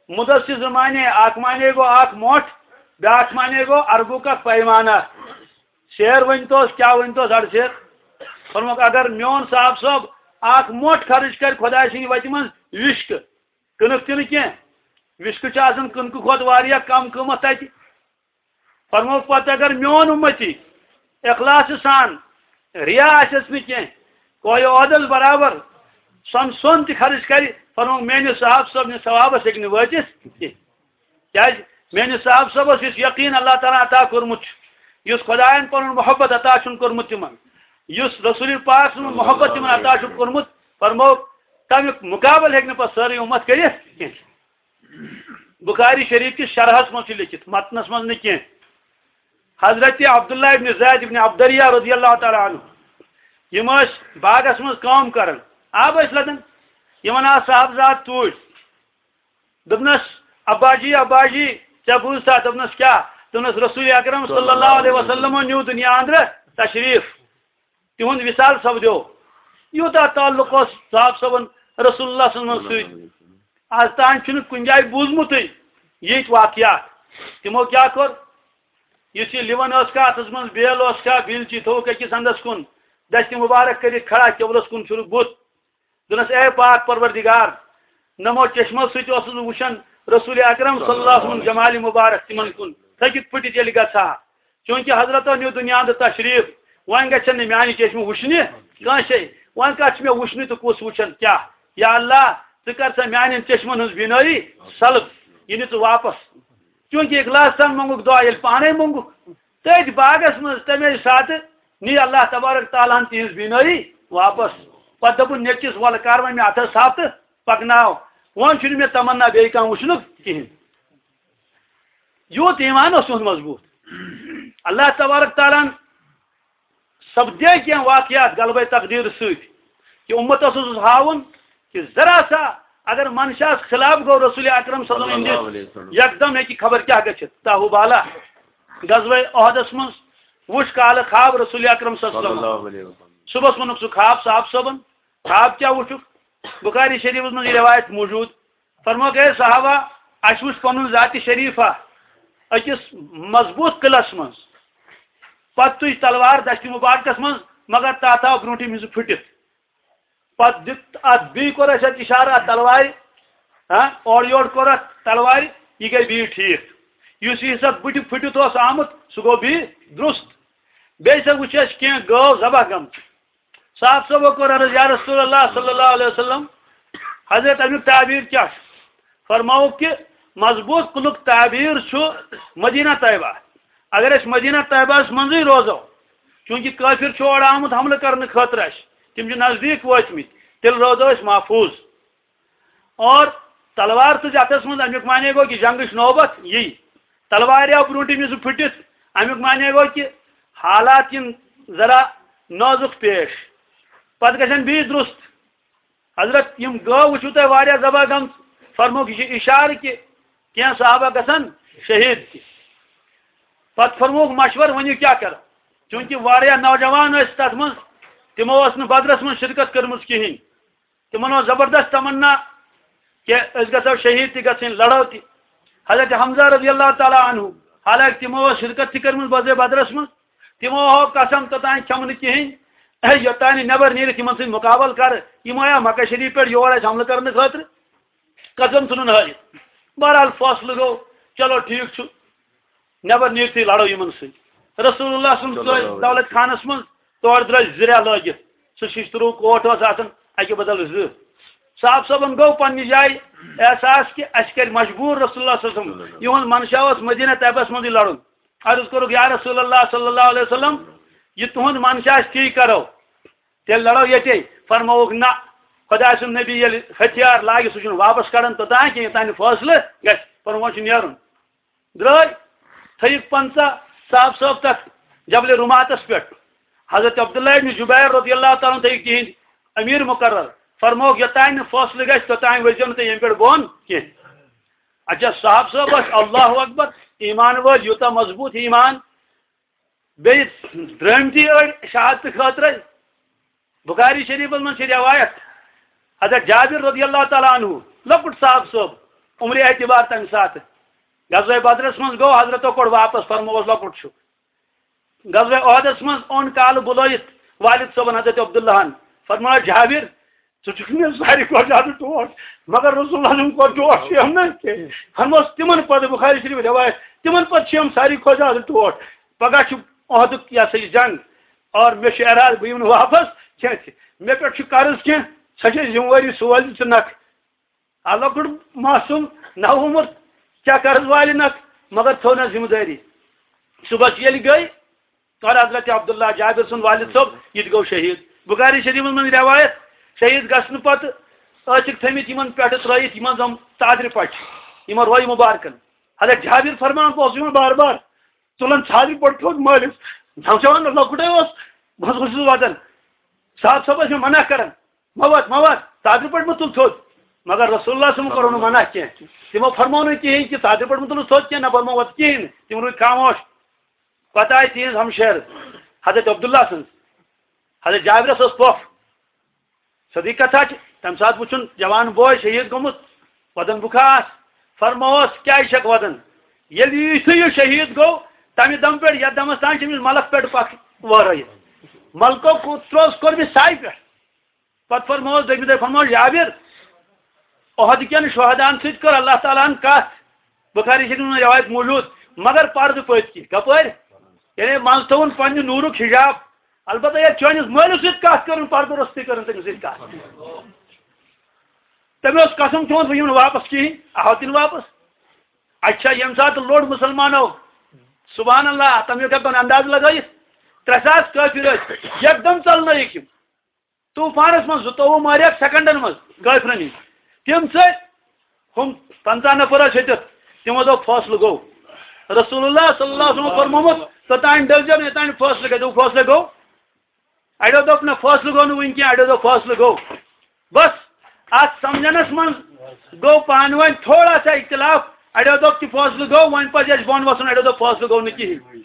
مُدس چھِ زٕ معنی، اکھ معنی گوٚو اکھ مۄٹھ، بیٛاکھ معنی گوٚو عربُک اکھ پیمانہ۔ شعر ؤنۍ توس، کیٛاہ ؤنۍ توس اَڑٕ شعر؟ فرمووُکھ، اگر میون صاحب صٲب اکھ مۄٹھ خرٕچ کرِ خۄداے سٕنٛدِ وتہِ منٛز وِشکہٕ، کٕنٕک تہِ نہٕ کینٛہہ، وِشکہٕ چھِ آسان کٕنکہٕ کھۄتہٕ واریاہ کم قۭمتھ تتہِ۔ فرمووُکھ پتہٕ، اگر میون اُمتی اخلاص سان، ریا آسٮ۪س نہٕ کینٛہہ، کویہِ عہدس برابر، سۄن سۄن تہِ خرٕچ کرِ، فرمووُکھ، میٲنِس صاحب صٲبنِس ثوابس ہیٚکہِ نہٕ وٲتِتھ کینٛہہ۔ کیازِ؟ میٲنِس صاحب صٲبس یُس یقین اللہ تعالیٰ عطا کوٚرمُت چھُ، یُس خۄداین پنُن محبت عطا چھُن کوٚرمُت تِمن، یُس رسول پاک سُنٛد محبت تِمن عطا چھُکھ کوٚرمُت، فرمووُکھ، تمیُک مقابلہٕ ہیٚکہِ نہٕ پتہٕ سٲرٕے اُمت کٔرِتھ کینٛہہ۔ بخاری شریف کِس شرحس منٛز چھُ لیکھِتھ، متنس منٛز نہٕ کینٛہہ۔ حضرت عبداللہ ابن زید ابن عبدریہ رضی اللہ تعالیٰ عنہ، یِم ٲسۍ باغس منٛز کٲم کران، آب ٲسۍ لدان، یِمن آو صاحبزاد توٗرۍ۔ دوٚپنس، "ابا جی، ابا جی، ژےٚ بوٗزتھا؟" دوٚپنس، "کیٛاہ؟" دوٚپنس، "رسول اکرم صلی اللہ علیہ وسلمو نیوٗ دُنیا اندرٕ تشریٖف، تِہُنٛد وصال سپدیو۔" یوٗتاہ تعلق اوس صاحب صٲبن رسول اللہ صلی اللہ علیہ وسلم سۭتۍ۔ از تام چھُنہٕ کُنہِ جایہِ بوٗزمُتٕے یِتھۍ واقعات۔ تِمو کیٛاہ کوٚر؟ یُس یہِ لِوَن ٲس کھا، اَتھَس منٛز بیل اوس کھا، بیلچی تھوٚوُکھ أکِس اَندَس کُن، دَستہِ مُبارک کٔرِتھ کھڑا، قبلَس کُن پھِرُکھ بُتھ۔ دوٚپنَس، "اے پاک پروردگار، نمو چشمو سۭتۍ اوسُس بہٕ وٕچھان رسول اکرم صلی اللہ علیہ وسلم جمالِ مُبارک تِمَن کُن، تھٔکِتھ پھٕٹِتھ ییٚلہِ گژھٕ ہا۔ چوٗنٛکہِ حضرتو نیوٗ دُنیا اندٕ تشریٖف، وۄنۍ گژھن نہٕ میٛانہِ چشمہٕ وٕچھنہِ کٲنٛسے۔ وۄنۍ کَتھ چھِ مےٚ وٕچھنہِ تہٕ کُس وٕچھن کیٛاہ؟ یا اللہ، ژٕ کر سا میٛانٮ۪ن چشمَن ہٕنٛز بینٲیی سلب، یہِ نہِ ژٕ واپس۔ چوٗنٛکہِ اخلاص سان منٛگُکھ دُعا، ییٚلہِ پانَے منٛگُکھ۔" تٔتھۍ باغس منٛز تَمے ساتہٕ نی اللہ تبارک تعالیٰ ہن تِہنٛز بینٲیی واپس۔ پتہٕ دوٚپُن نیٚچوِس، "وَلہٕ کر وۄنۍ مےٚ اَتھس تھپھ تہٕ پکناو، وۄنۍ چھُنہٕ مےٚ تمنا بیٚیہِ کانٛہہ وٕچھنُک کِہیٖنۍ۔" یوٗت ایمان اوس تِہُنٛد مضبوٗط۔ اللہ تبارک تعالیٰ ہن سپدے کینٛہہ واقعات غلبے تقدیر سۭتۍ، کہِ اُمتس اوسُس ہاوُن کہِ ذرا سا اگر منشاہس خلاف گوٚو رسول اکرم صلی اللہ علیہ وسلم ہٕنٛدِس، یکدم ہیٚکہِ خبر کیٛاہ گٔژھِتھ۔ تاہو بالا غزوہ احدس منٛز وُچھ کالہٕ خواب رسول اکرم صلی اللہ علیہ وسلم۔ صبحس ووٚنُکھ سُہ خواب صاحب صٲبن، خواب کیٛاہ وُچھُکھ؟ بخاری شریفس منٛز یہِ روایت موجود۔ فرمووُکھ، "اے صحابہ، اَسہِ وُچھ پنُن ذاتِ شریفہ أکِس مضبوٗط قلعس منٛز۔ پتہٕ تُج تلوار دستہِ مبارکس منٛز، مگر تتھ آو برونٛٹھٕے مِزٕ پھُٹِتھ۔ پتہٕ دیُت اتھ، بیٚیہِ کوٚر اَسہِ اتھ اشارٕ اتھ تلوارِ، ہاں، اورٕ یورٕ کوٚر اتھ تلوارِ، یہِ گٔے بیٚیہِ ٹھیٖک۔ یُس یہِ حِصہٕ بٕتھِ پھٕٹِتھ اوس آمُت، سُہ گوٚو بیٚیہِ درُست۔ بیٚیہِ سا وٕچھ اَسہِ کینٛہہ گٲو ذبح گٔمٕژ۔ صاحب صٲبو کوٚر عرض، "یا رسول اللہ صلی اللہ علیہ وسلم، حضرت، اَمیُک تعبیر کیٛاہ چھُ؟" فرماوُکھ کہِ مضبوٗط کُلُک تعبیر چھُ مدینہ طیبہ۔ اگر أسۍ مدینہ طیبہس منٛزٕے روزو، چوٗنٛکہِ کٲفِر چھُ اورٕ آمُت حملہٕ کرنہٕ خٲطرٕ اَسہِ، تِم چھِ نزدیٖک وٲتمٕتۍ، تیٚلہِ روزو أسۍ محفوٗظ۔ اور تلوار تُج اَتھس منٛز، اَمیُک معنی گوٚو کہِ جنگٕچ نوبت یی۔ تلوارِ آو برونٛٹھِم یُس پھٕٹِتھ، اَمیُک معنی گوٚو کہِ حالات یِن ذرا نازُک پیش۔ پتہٕ گژھن بیٚیہِ درُست۔ حضرت، یِم گٲو وٕچھِو تۄہہِ واریاہ ذبح گٔمژٕ، فرمووُکھ، یہِ چھُ اِشارٕ کہِ کینٛہہ صحابہ گژھن شہیٖد تہِ۔ پتہٕ فرمووُکھ مشورٕ، ؤنِو کیٛاہ کرو؟ چوٗنٛکہِ واریاہ نوجوان ٲسۍ تتھ منٛز، تِمو ٲس نہٕ بدرس منٛز شرکت کٔرمٕژ کِہیٖنۍ۔ تِمن اوس زبردست تمنا کہِ أسۍ گژھو شہیٖد تہِ گژھٕنۍ، لڑو تہِ۔ حضرت حمزہ رضی اللہ تعالیٰ عنہ، حالانکہ تِمو ٲس شرکت تہِ کٔرمٕژ غزوہ بدرس منٛز، تِمو ہوو قسم توٚتام کھٮ۪مہٕ نہٕ کِہیٖنۍ، ہے، یوٚتام نہٕ نٮ۪بر نیٖرِتھ یِمن سۭتۍ مُقابلہٕ کرٕ، یِم آیا مکہ شریٖف پٮ۪ٹھ یور اَسہِ حملہٕ کرنہٕ خٲطرٕ، قسم ژھٕنُن ہٲوِتھ۔ بہرحال فٲصلہٕ گوٚو، چلو ٹھیٖک چھُ، نٮ۪بر نیٖرتھٕے لڑو یِمن سۭتۍ۔ رسول اللہ صلی اللہ علیہ وسلم ژٲے دولت خانس منٛز، تورٕ درٛاے زٕ رٮ۪تھ لٲگِتھ۔ سُہ شِشتٕروٗ کوٹ اوس آسان اَکہِ بدل زٕ۔ صاحب صٲبن گوٚو پننہِ جایہِ احساس کہِ اَسہِ کرِ مجبوٗر رسول اللہ صلی اللہ علیہ وسلم۔ یِہُنٛد منشا اوس مدینہ طیبس منٛزٕے لڑُن۔ عرض کوٚرُکھ، یا رسول اللہ صلی اللہ علیہ وسلم، یہِ تُہُنٛد منشا آسہِ تی کرو، تیٚلہِ لڑو ییٚتے۔ فرمووُکھ، نہ، خۄداے سُنٛد نبی ییٚلہِ ہتھیار لاگہِ، سُہ چھُنہٕ واپس کڑان توٚتام کینٛہہ، یوٚتام نہٕ فٲصلہٕ گژھِ۔ فرمووُکھ، وۄنۍ چھُ نیرُن۔ درٛاے، تھٲیِکھ پنٛژاہ صاحب صٲب تَتھ جبل رُماتَس پٮ۪ٹھ۔ حضرت عبداللہ ابن زبیر رضی اللہ تعالیٰ عنہ تھٲیِکھ تِہِنٛدۍ أمیٖر مُقرر۔ فرمووُکھ، یوٚتام نہٕ فٲصلہٕ گژھِ، توٚتام ؤسۍزیو نہٕ تُہۍ ییٚمہِ پٮ۪ٹھ بۄن کینٛہہ۔ اچھا، صاحب صٲب ٲسۍ اللہ اکبر، ایٖمان وٲلۍ، یوٗتاہ مضبوٗط ایٖمان۔ بیٚیہِ درٛٲمتی أڑۍ شہادتہٕ خٲطرَے۔ بخاری شریفس منٛز چھِ رٮ۪وایت، حضرت جابر رضی اللہ تعالیٰ عنہ، لۄکُٹ صاحب صٲب، عمرِ اعتبار تَمہِ ساتہٕ۔ غزوہ بدرس منٛز گوٚو، حضرتو کوٚڑ واپس، فرمووس، لۄکُٹ چھُ۔ غزوہ احدس منٛز اوٚن کالہٕ بُلٲیِتھ والد صٲبن حضرت عبداللہن، فرمووس، جابر، ژٕ چھُکھ مےٚ ساروی کھۄتہٕ زیادٕ ٹوٹھ، مگر رسول اللہ سُنٛد کھۄتہٕ ٹوٹھ چھُ یِم نہٕ کینٛہہ۔ فرمووس، تِمن پتہٕ، بخاری شریف رٮ۪وایت، تِمن پتہٕ چھِ یِم ساروی کھۄتہٕ زیادٕ ٹوٹھ۔ پگاہ چھُ احدُک، یہِ ہسا یہِ جنگ، اور مےٚ چھُ ارادٕ، بہٕ یِمہٕ نہٕ واپس کینٛہہ تہِ۔ مےٚ پٮ۪ٹھ چھُ قرض کینٛہہ، سۄ چھےٚ ذمہٕ وٲری سوز ژٕ نکھ۔ آ، لۄکُٹ معصوم، نوعمر، کیٛاہ قرض والہِ نکھ، مگر تھٲو نہ ذمہٕ دٲری۔ صبحس ییٚلہِ گٔے، کر حضرت عبداللہ جابر سُنٛد والد صٲب، یہِ تہِ گوٚو شہیٖد۔ بخاری شریفس منٛز رٮ۪وایت، شہیٖد گژھنہٕ پتہٕ ٲسِکھ تھٲمٕتۍ یِمن پٮ۪ٹھٕ ترٲیِتھ یِمن زَن ژادرِ پٹہِ، یِمن روے مُبارکن۔ حضرت جابر فرمان، بہٕ اوسُس یِمن بار بار تُلان ژادرِ پٹہِ تھوٚد مٲلِس، نوجوان لۄکُٹے اوس، بہٕ اوسُس وَدان۔ صاحب صٲب ٲسۍ مےٚ منع کران، "مہ وَد، مہ وَد، ژادرِ پٹہِ مہ تُل تھوٚد۔" مگر رسول اللہ صٲبن کوٚر نہٕ منع کینٛہہ۔ تِمو فرموو نہٕ کِہیٖنۍ کہِ ژادرِ پٹہِ مہ تُلُس تھوٚد کینٛہہ، نہ فرموو وَد کِہیٖنۍ۔ تِم روٗدۍ خاموش۔ پتہٕ آیہِ تِہنٛز ہمشیر حضرت عبداللہ سٕنٛز۔ حضرت جابرس ٲس پۄپھ۔ صدیق کتھا چھِ، تمہِ ساتہٕ وُچھُن جوان بوے شہیٖد گوٚمُت، وَدن بُکھاس، فرمووس، "کیٛازِ چھکھ وَدان؟ ییٚلہِ یُتھُے یہِ شہیٖد گوٚو، تمہِ دم پٮ۪ٹھ یتھ دمس تام چھِ أمِس ملک پٮ۪ٹھ پکھ وٲرٲیِتھ۔ ملکو کو-، ترووس کوٚر مےٚ ساے پٮ۪ٹھ۔" پتہٕ فرمووس دوٚیمہِ دۄہہِ، فرمووس، "جابر، احد کٮ۪ن شہداہن سۭتۍ کٔر اللہ تعالیٰ ہن کتھ۔" بخاری شریف منٛز روایت موجود، مگر پردٕ پٔتۍ کِنۍ۔ کپٲرۍ؟ یعنی منٛزٕ تھوٚوُن پننہِ نوٗرُک حجاب۔ البتہ ییٚلہِ چٲنِس مٲلِس سۭتۍ کتھ کٔرٕن، پردٕ روٚستُے کٔرٕن تٔمِس سۭتۍ کتھ۔ تٔمۍ اوس قسم کھیوٚمُت، بہٕ یِمہٕ نہٕ واپس کِہیٖنۍ، آو تہِ نہٕ واپس۔ اچھا، ییٚمہِ ساتہٕ لوٚڑ مُسلمانو، سبحان اللہ، تٔمۍ ہیوٚک ہٮ۪کن انداز لگٲیِتھ، ترٛےٚ ساس کٲفِر ٲسۍ، یکدم ژلنٲیِکھ یِم۔ طوفانس منٛز زٕتووُہ مٲرِکھ سیکنڈن منٛز کٲفرن ہِنٛدۍ۔ تِم ژٔلۍ، ہُم پنٛژاہ نفر ٲسۍ ہیٚتِتھ، تِمو دوٚپ، "فٲصلہٕ گوٚو۔" رسول اللہ صلی اللہ علیہ وسلم فرمومُت، "توٚتام ڈٔلۍزیو نہٕ، یوٚتام نہٕ فٲصلہٕ گژھِ۔" دوٚپ، "فٲصلہٕ گوٚو؟" اَڑیو دوٚپ، "نہ، فٲصلہٕ گوٚو نہٕ وٕنہِ کینٛہہ۔" اَڑیو دوٚپ، "فٲصلہٕ گوٚو۔" بس، اَتھ سمجھنس منٛز گوٚو پانہٕ ؤنۍ تھوڑا سا اختلاف۔ اَڑیو دوٚپ کہِ فٲصلہٕ گوٚو، وۄنۍ پزِ اَسہِ بۄن وَسُن، اَڑیو دوٚپ، "فٲصلہٕ گوٚو نہٕ کِہیٖنۍ۔"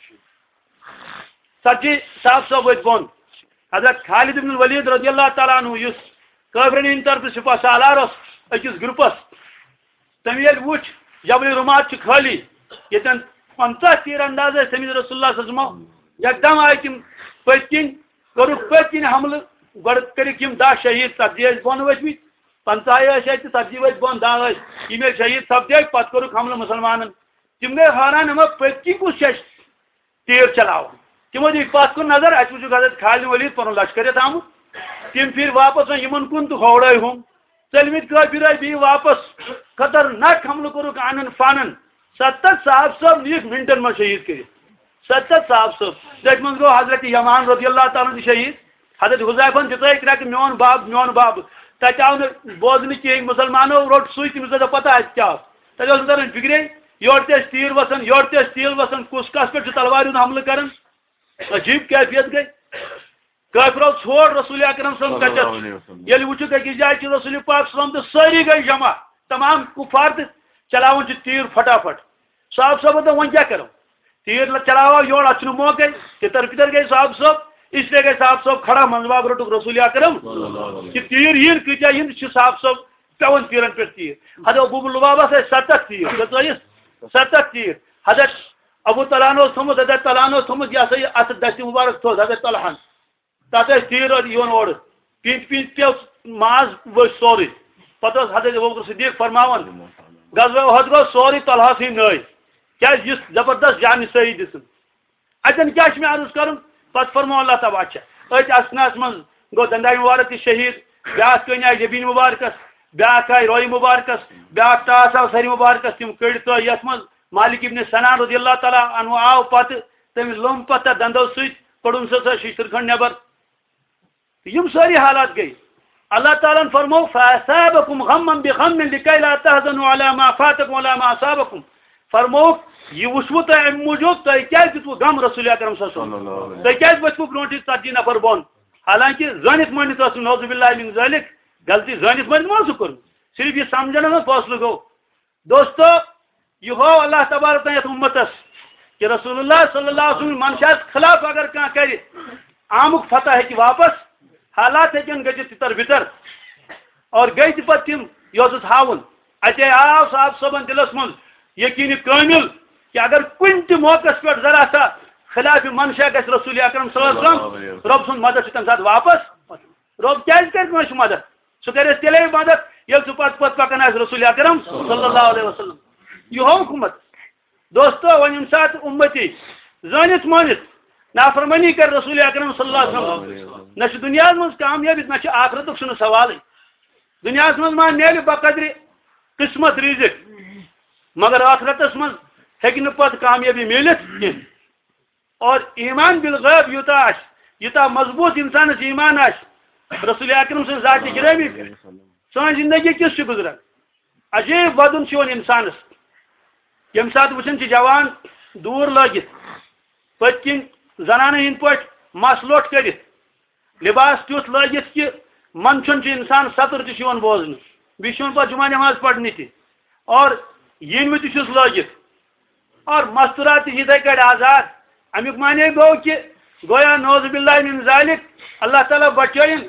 ژتجی صاحب صٲب ؤتھۍ بۄن۔ حضرت خالد ابن الولید رضی اللہ تعالیٰ عنہ، یُس کٲفرن ہٕنٛدِ طرفہٕ سپاہ سالار اوس أکِس گروپس، تٔمۍ ییٚلہِ وُچھ جبل رمات چھُ خٲلی، ییٚتٮ۪ن پنٛژاہ تیر انداز ٲسۍ تٔمِس رسول اللہ صلی اللہ علیہ وسلم، یکدم آیہِ تِم پٔتۍ کِنۍ، کوٚرُکھ پٔتۍ کِنۍ حملہٕ، گۄڈٕ کٔرِکھ یِم دَہ شہیٖد، ژتجی ٲسۍ بۄن ؤتھمٕتۍ۔ پنٛژاہ ٲسۍ اَتہِ، ژتجی ؤتھۍ بۄن، دَہ ٲسۍ۔ یِم ییٚلہِ شہیٖد سپدے، پتہٕ کوٚرُکھ حملہٕ مُسلمانن۔ تِم گٔے حٲران، ہما پٔتۍ کِنۍ کُس چھُ اَسہِ تیٖر چلاوان؟ تِمو دِتۍ پتھ کُن نظر، اَتہِ وُچھُکھ حضرت خالد ولید پنُن لشکر یَتھ آمُت۔ تِم پھِرۍ واپس وۄنۍ یِمن کُن تہٕ ہوڑٲے ہُم۔ ژٔلمٕتۍ کٲفِر آے بیٚیہِ واپس۔ خطرناک حملہٕ کوٚرُکھ آنن فانن۔ ستتھ صاحب صٲب نِیِکھ منٹن منٛز شہیٖد کٔرِتھ۔ ستتھ صاحب صٲب۔ تٔتھۍ منٛز گوٚو حضرت یمان رضی اللہ تعالیٰ عنہ تہِ شہیٖد۔ حضرت حذیفن دِژٲے کرٛٮ۪کہٕ، "میون بب، میون بب۔" تَتہِ آو نہٕ بوزنہٕ کِہیٖنۍ، مُسلمانو روٚٹ سُے، تٔمِس ٲس پتہ اَتہِ کیٛاہ اوس۔ تَتہِ اوس نہٕ تران فِکرے، یورٕ تہِ ٲسۍ تیٖر وَسان، یورٕ تہِ ٲسۍ تیٖر وَسان، کُس کَس پٮ۪ٹھ چھُ تلوارِ ہُنٛد حملہٕ کران۔ عجیٖب کیفیت گٔے۔ کٲفرو ژھوڑ رسول اکرم صلی اللہ علیہ وسلم صلی اللہ کَتٮ۪تھ۔ علیہ وسلم۔ ییٚلہِ وٕچھُکھ أکِس جایہِ چھِ رسول پاک صلی اللہ علیہ وسلم تہٕ سٲری گٔے جمع، تمام کُفار تہٕ چلاوان چھِ تیٖر پھٹافٹ۔ صاحب صٲبَن دوٚپ، "وۄنۍ کیٛاہ کَرو؟ تیٖر لہ-، چلاوو یورٕ، اَتھ چھُنہٕ موقعے۔" تِتر پِتر گٔے صاحب صٲب، اس لیے گٔے صاحب صٲب کھڑا، منٛزٕ باگ روٚٹُکھ رسول اکرم صلی اللہ علیہ وسلم۔ کہِ تیٖر یِن، کۭتیٛاہ یِن، چھِ صاحب صٲب پٮ۪وان تیٖرَن پٮ۪ٹھ تیٖر۔ حضرت ابو لُبابَس ٲسۍ ستتھ تیٖر، کٔژ ٲسۍ؟ ستتھ تیٖر۔ حضرت ابو طلحہ اوس تھوٚمُت، حضرت طلحہ اوس تھوٚمُت، یہِ ہسا یہِ اَتھٕ دَستہِ مُبارک تھوٚد حضرت طلحہَن۔ تَتھ ٲسۍ تیٖر اورٕ یِوان اورٕ۔ پِنٛتۍ پِنٛتۍ پیوٚو ماز، ؤسۍ سورُے۔ پَتہٕ اوس حضرت ابوبکر صدیق فرماوان، "غزوہ احد گوٚو سورُے طلحہ سٕے نٲے۔ کیٛازِ یُس زبردست جان نثٲری دِژٕن۔ اَتٮ۪ن کیٛاہ چھُ مےٚ عرض کَرُن؟" پَتہٕ فرموو اللہ تعالیٰ، اچھا، أتھۍ اثناہَس منٛز گوٚو دَنٛدایہِ مُبارک تہِ شہیٖد، بیٛاکھ کٔنۍ آیہِ جبیٖن مُبارکَس، بیٛاکھ آیہِ رویہِ مُبارکَس، بیٛاکھ ٹاس آو سَرِ مُبارکَس، تِم کٔڑۍ تہٕ یَتھ منٛز مالک ابن سنان رضی اللہ تعالیٰ عنہ آو پَتہٕ، تٔمۍ لوٚم پَتہٕ تَتھ دَنٛدو سۭتۍ، کوٚڑُن سُہ سۄ شِشتٕر کھنٛڈ نٮ۪بر۔ تہٕ یِم سٲری حالات گٔے۔ اللہ تعالیٰ ہن فرموو، "فَأَثَابَكُمْ غَمًّا بِغَمٍّ لِكَيْ لَا تَحْزَنُوا عَلَى مَا فَاتَكُمْ وَلَا مَا أَصَابَكُمْ۔" فرمووُکھ، یہِ وٕچھوٕ تۄہہِ اَمہِ موٗجوٗب، تۄہہِ کیٛازِ دیُتوٕ غم رسول اکرم صلی اللہ علیہ وسلم؟ صلی اللہ علیہ وسلم۔ تۄہہِ کیٛازِ ؤتھوٕ برونٛٹھٕے ژتجی نفر بۄن؟ حالانکہِ زٲنِتھ مٲنِتھ ٲس نہٕ، نعوذ باللہ من ذالک، غلطی زٲنِتھ مٲنِتھ ما اوسُکھ کوٚرمُت؟ صرف یہِ سمجھنس منٛز فٲصلہٕ گوٚو۔ دوستو، یہِ ہوو اللہ تبارک و تعالیٰ یتھ اُمتس کہِ رسول اللہ صلی اللہ علیہ وسلم منشاہس خلاف اگر کانٛہہ کرِ، آمُک فتح ہیٚکہِ واپس، حالات ہیٚکن گٔژھِتھ تِتر بِتر۔ اور گٔے تہِ پتہٕ تِم، یہِ اوسُس ہاوُن۔ اتے آو صاحب صٲبن دِلس منٛز یقین کٲمِل کہِ اگر کُنہِ تہِ موقعس پٮ۪ٹھ ذرا سا خلاف منشا گژھِ رسول اکرم صلی اللہ علیہ وسلم، رۄب سُنٛد مدد چھُ تمہِ ساتہٕ واپس۔ رۄب کیٛازِ کرِ کٲنٛسہِ مدد؟ سُہ کرِ اَسہِ تیٚلے مدد، ییٚلہِ سُہ پتہٕ پتہٕ پکان آسہِ رسول اکرم صلی اللہ علیہ وسلم۔ یہِ ہوو حکومت۔ دوستو، وۄنۍ ییٚمہِ ساتہٕ اُمتی زٲنِتھ مٲنِتھ نافرمٲنی کرِ رسول اکرم صلی اللہ علیہ وسلم، نہ چھُ دُنیاہس منٛز کامیٲبی، نہ چھُ آخرتُک، چھُنہٕ سوالٕے۔ دُنیاہس منٛز ما میلہِ بقدرِ قسمت رِزق، مگر آخرتس منٛز ہیٚکہِ نہٕ پتہٕ کامیٲبی میٖلِتھ کینٛہہ۔ اور ایمان بالغیب یوٗتاہ آسہِ، یوٗتاہ مضبوٗط اِنسانَس ایمان آسہِ رسول اکرم سٕنٛز ذاتِ گرامی پٮ۪ٹھ، سٲنۍ زندگی کِژھ چھِ گُزران؟ عجیٖب وَدُن چھُ یِوان اِنسانَس، ییٚمہِ ساتہٕ وٕچھان چھِ جوان دوٗر لٲگِتھ، پٔتۍ کِنۍ زنانَن ہِنٛدۍ پٲٹھۍ مَس لوٚٹ کٔرِتھ، لباس تیُتھ لٲگِتھ کہِ منٛدچھُن چھُ اِنسان، سَتُر تہِ چھُ یِوان بوزنہٕ، بیٚیہِ چھُ یِوان پَتہٕ جمعہ نٮ۪ماز پَرنہِ تہِ، اور ییٚمہِ تہِ چھُس لٲگِتھ۔ اور مستورات تہِ یِتھَے کٲٹھۍ آزاد۔ اَمیُک معنی گوٚو کہِ گویا نعوذ باللہ من ذالک، اللہ تعالیٰ بچٲیِن،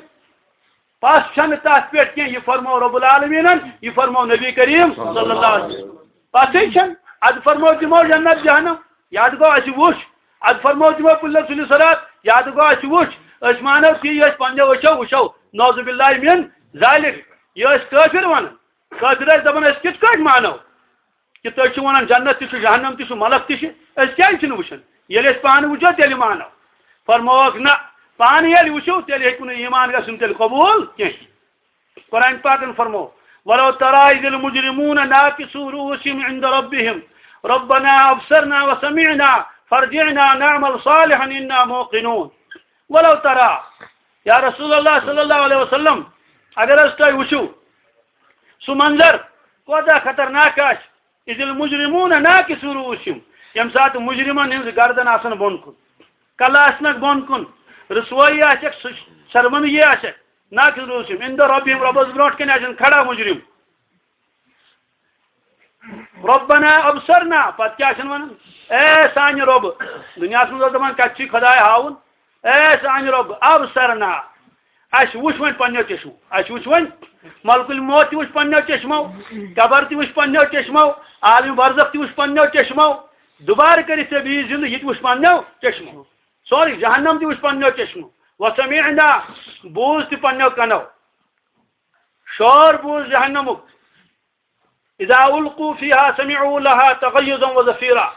پَس چھَنہٕ تَتھ پٮ۪ٹھ کینٛہہ۔ یہِ فرموو رب العالمیٖنَن، یہِ فرموو نبی کریم صلی اللہ علیہ وسلم۔ پَسٕے چھَنہٕ۔ اَدٕ فرموو تِمو جنت جہنم، یاد گوٚو اَسہِ وُچھ۔ اَدٕ فرموو تِمو پُلہِ سُلہِ صراط، یاد گوٚو اَسہِ وُچھ۔ أسۍ مانو تی، یہِ أسۍ پنٛنیو أچھو وٕچھو۔ نعوذ باللہ من ذالک، یہِ ٲسۍ کٲفِر وَنان۔ کٲفِر ٲسۍ دَپان، أسۍ کِتھ کٲٹھۍ مانو؟ کہِ تُہۍ چھِو وَنان جنت تہِ چھُ، جہنم تہِ چھُ، ملک تہِ چھِ، أسۍ کیٛازِ چھِنہٕ وٕچھان؟ ییٚلہِ أسۍ پانہٕ وٕچھو، تیٚلہِ مانو۔ فرمووُکھ، نہ، پانہٕ ییٚلہِ وٕچھِو، تیٚلہِ ہیٚکِو نہٕ ایمان گژھُن تیٚلہِ قبوٗل کینٛہہ۔ قرآن پاکن فرموو، "ولو ترى إذ المجرمون ناكسوا رؤوسهم عند ربهم ربنا أبصرنا وسمعنا فارجعنا نعمل صالحا إنا موقنون۔" ولو ترى، یا رسول اللہ صلی اللہ علیہ وسلم، اگر حظ تۄہہِ وٕچھِو سُہ منظر کوتاہ خطرناک آسہِ، اذ المجرمون ناکسو رؤوسہم، ییٚمہِ ساتہٕ مجرمن ہٕنٛز گردن آسن بۄن کُن، کلہٕ آسنکھ بۄن کُن، رسوٲیی آسٮ۪کھ، سُہ شرمندگی آسٮ۪کھ، ناکسو رؤوسہم، عند ربہم، رۄبس برونٛٹھ کنہِ آسن کھڑا مجرم۔ ربنا ابصرنا، پتہٕ کیٛاہ چھِن ونان؟ اے سانہِ رۄبہٕ، دُنیاہس منٛز اوس دپان کتہِ چھُے خداے ہاوُن، اے سانہِ رۄبہٕ، ابصرنا، اَسہِ وُچھ وۄنۍ پننیو چشمو، اَسہِ وُچھ وۄنۍ ملک الموت تہِ وُچھ پننیو چشمو، قبر تہِ وُچھ پننیو چشمو، عالم برزخ تہِ وُچھ پننیو چشمو، دوبارٕ کٔرِتھ ژےٚ بیٚیہِ زندٕ یہِ تہِ وُچھ پننیو چشمو، سورُے جہنم تہِ وُچھ پننیو چشمو، وسمعنا، بوٗز تہِ پننیو کنو۔ شور بوٗز جہنمُک۔ اذا القوا فیہا سمعوا لہا تغیظا و زفیرا۔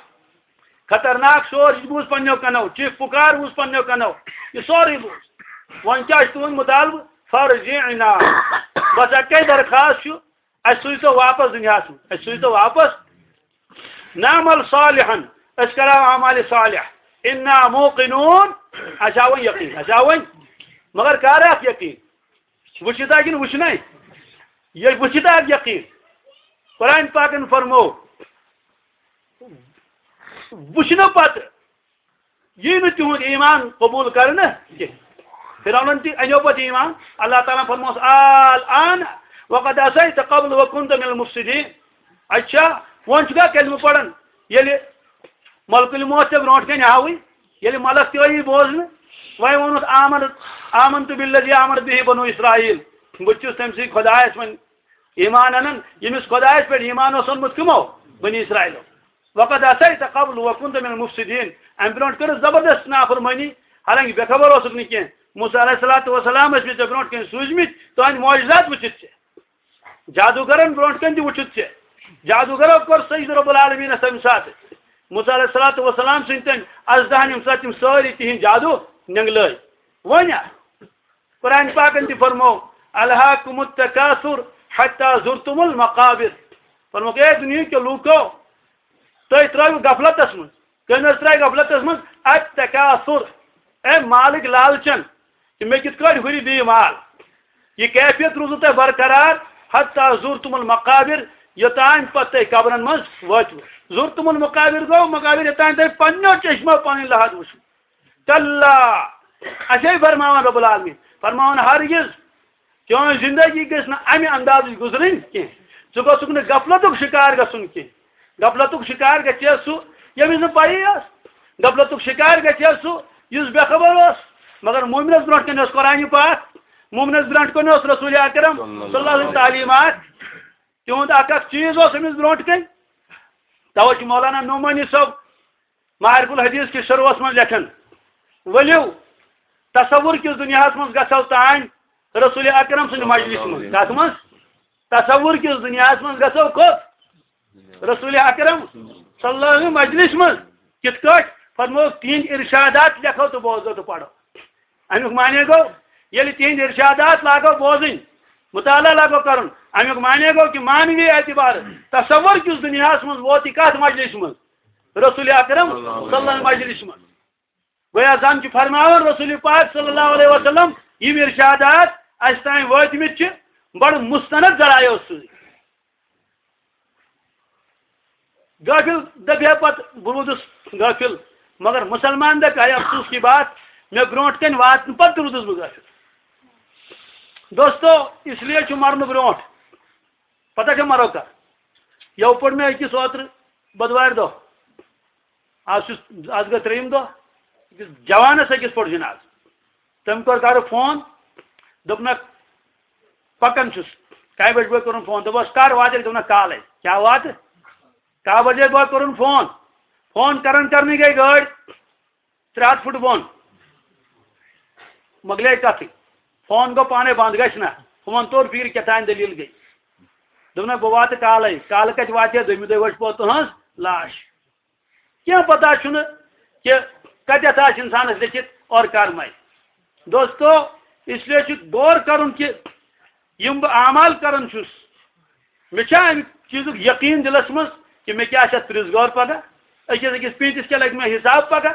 خطرناک شور یہِ بوٗز پننیو کنو، چیخ پُکار بوٗز پننیو کنو، یہِ سورُے بوٗز۔ وۄنۍ کیٛاہ چھُ تُہُنٛد مُطالبہٕ؟ فرجعنا۔ بس اَکے درخواست چھُ، اَسہِ سوٗزتو واپس دُنیاہَس منٛز، اَسہِ سوٗزتو واپس۔ نعمل صالحا، أسۍ کرو اعمال صالح۔ انا موقنون، اَسہِ آو وۄنۍ یقین، اَسہِ آو وۄنۍ، مگر کر اکھ یقین؟ وٕچھِتھ ہا کِنہٕ وٕچھنَے؟ ییٚلہِ وٕچھِتھ ہا یقین۔ قرآن پاکن فرمو، وٕچھنہٕ پتہٕ یی نہٕ تِہُنٛد ایٖمان قبوٗل کرنہٕ کینٛہہ۔ فرعونن تہِ اَنیو پتہٕ ایٖمان۔ اللہ تعالیٰ فرموس، الآن وقد عصیت قبل وکنت من المفسدین۔ اچھا، وۄنۍ چھُکھا کلمہٕ پران؟ ییٚلہِ ملک الموت ژےٚ برونٛٹھ کنہِ آوٕے، ییٚلہِ ملک تہِ ٲیی بوزنہٕ، وۄنۍ ووٚنُتھ، آمنت، آمنت بالذی آمنت بہ بنو اسرائیل، بہٕ تہِ چھُس تٔمۍ سٕے خۄدایس وۄنۍ ایٖمان انان، ییٚمِس خۄدایس پٮ۪ٹھ ایٖمان اوس اوٚنمُت کٕمو؟ بنی اسرائیلو۔ وقد عصیت قبل وکنت من المفسدین۔ امہِ برونٛٹھ کٔرٕس زبردست نافرمٲنی، حالانکہ بے خبر اوسُکھ نہٕ کینٛہہ۔ موسیٰ علیہ الصلوۃ والسلام ٲسۍ مےٚ ژےٚ برونٛٹھ کنہِ سوٗزمٕتۍ، تُہنٛدۍ معجزات وٕچھِتھ ژےٚ۔ جادوٗگرن برونٛٹھ کنہِ تہِ وُچھُتھ ژےٚ۔ جادوٗگرو کوٚر سجدٕ رب العالمینس تمہِ ساتہٕ۔ موسیٰ علیہ الصلوۃ والسلام سٕنٛدۍ تٔمۍ ازدہن، ییٚمہِ ساتہٕ تِم سٲری تِہنٛدۍ جادوٗ نینگلٲے۔ وۄنۍ قرآن پاکن تہِ فرمو، الہاکم التکاثر حتی زرتم المقابر۔ فرموکھ، اے دُنیہٕکیو لوٗکو، تُہۍ ترٲوِو غفلتس منٛز۔ کٔمۍ حظ ترٛایہِ غفلتس منٛز؟ التکاثر۔ اے مالٕکۍ لالچن، کہِ مےٚ کِتھ کٲٹھۍ ہُرِ بیٚیہِ مال۔ یہِ کیفیت روٗزوٕ تۄہہِ برقرار، حتی زرتم المقابر، یوٚتام پتہٕ تُہۍ قبرن منٛز وٲتِو۔ زرتم المقابر گوٚو مقابر، یوٚتام تۄہہِ پننیو چشمو پنٕنۍ لحد وٕچھِو۔ کلا، اَسے فرماوان رب العالمین، فرماوان ہرگز چٲنۍ زندگی گژھِ نہٕ اَمہِ اندازٕچ گُزرٕنۍ کینٛہہ۔ ژٕ گوٚژھُکھ نہٕ غفلتُک شکار گژھُن کینٛہہ۔ غفلتُک شکار گژھِ ہا سُہ، ییٚمِس نہٕ پَیی ٲس۔ غفلتُک شکار گژھِ ہا سُہ، یُس بے خبر اوس۔ مگر مومنس برونٛٹھ کنہِ اوس قرآنِ پاک، مومنس برونٛٹھ کنہِ اوس رسول اکرم صلی اللہ علیہ وسلم تعلیٖمات۔ تِہُنٛد اکھ اکھ چیٖز اوس أمِس برونٛٹھ کنہِ۔ توے چھُ مولانا نعمانی صٲب معارف الحدیث کِس شروعس منٛز لیکھان، ؤلِو تصور کِس دُنیاہس منٛز گژھو تام رسول اکرم سٕنٛدِ مجلس منٛز۔ کتھ منٛز؟ تصور کِس دُنیاہس منٛز گژھو کوٚت؟ رسول اکرم صلی اللہ علیہ وسلم مجلس منٛز۔ کِتھ کٲٹھۍ؟ فرمووُکھ، تِہنٛدۍ ارشادات لیکھو تہٕ بوزو تہٕ پرو۔ امیُک معنی گوٚو، ییٚلہِ تِہنٛدۍ ارشادات لاگو بوزٕنۍ، مطالعہ لاگو کرُن، امیُک معنی گوٚو کہِ معنوی اعتبار تصور کِس دُنیاہس منٛز ووت یہِ کتھ مجلس منٛز؟ رسول اکرم صلی اللہ علیہ وسلم مجلس منٛز۔ گویا زن چھُ فرماوان رسول پاک صلی اللہ علیہ وسلم، یِم ارشادات اسہِ تام وٲتمٕتۍ چھِ، بڑٕ مستند ذرایعو سۭتۍ۔ غافل دپہِ ہا پتہٕ، بہٕ روٗدُس غافل، مگر مسلمان دپہِ ہا، افسوس کی بات، مےٚ برونٛٹھ کنہِ واتنہٕ پتہٕ تہِ روٗدُس بہٕ غافل۔ دوستو، اس لیے چھُ مرنہٕ برونٛٹھ، پتہ چھا مرو کر؟ یو پوٚر مےٚ أکِس اوترٕ بۄدوارِ دۄہ، آز چھُس، آز گٔے ترٛیٚیِم دۄہ، أکِس جوانس أکِس پوٚر جنازٕ۔ تٔمۍ کوٚر گرٕ فون، دوٚپنکھ، پکان چھُس۔ کاہہِ بجہِ بٲگۍ کوٚرُن فون، دوٚپُس، کر واتکھ؟ دوٚپنکھ، کالے۔ کیٛاہ واتہٕ؟ کاہ بجے بٲگۍ کوٚرُن فون، فون کران کرنٕے گٔے گٲڑۍ ترٛےٚ ہتھ فُٹ بۄن۔ مۄکلے کتھٕے، فون گوٚو پانے بنٛد، گژھِ نہ۔ ہُمن توٚر فِکرِ کیٛاہ تام دٔلیٖل گٔے۔ دوٚپنکھ، بہٕ واتہٕ کالے۔ کالہٕ کتہِ واتہِ ہا؟ دوٚیمہِ دۄہہِ وٲژ پوٚت تُہنٛز لاش۔ کینٛہہ پتہ چھُنہٕ کہِ کتٮ۪تھ آسہِ انسانس لیٚکھِتھ اور کر مرِ۔ دوستو، اس لیے چھُ غور کرُن کہِ یِم بہٕ اعمال کران چھُس، مےٚ چھا امہِ چیٖزُک یقیٖن دِلس منٛز کہِ مےٚ کیٛاہ چھِ اتھ پرٛژھ غور پگاہ؟ أکِس أکِس پیٖنتِس کیٛاہ لگہِ مےٚ حساب پگاہ؟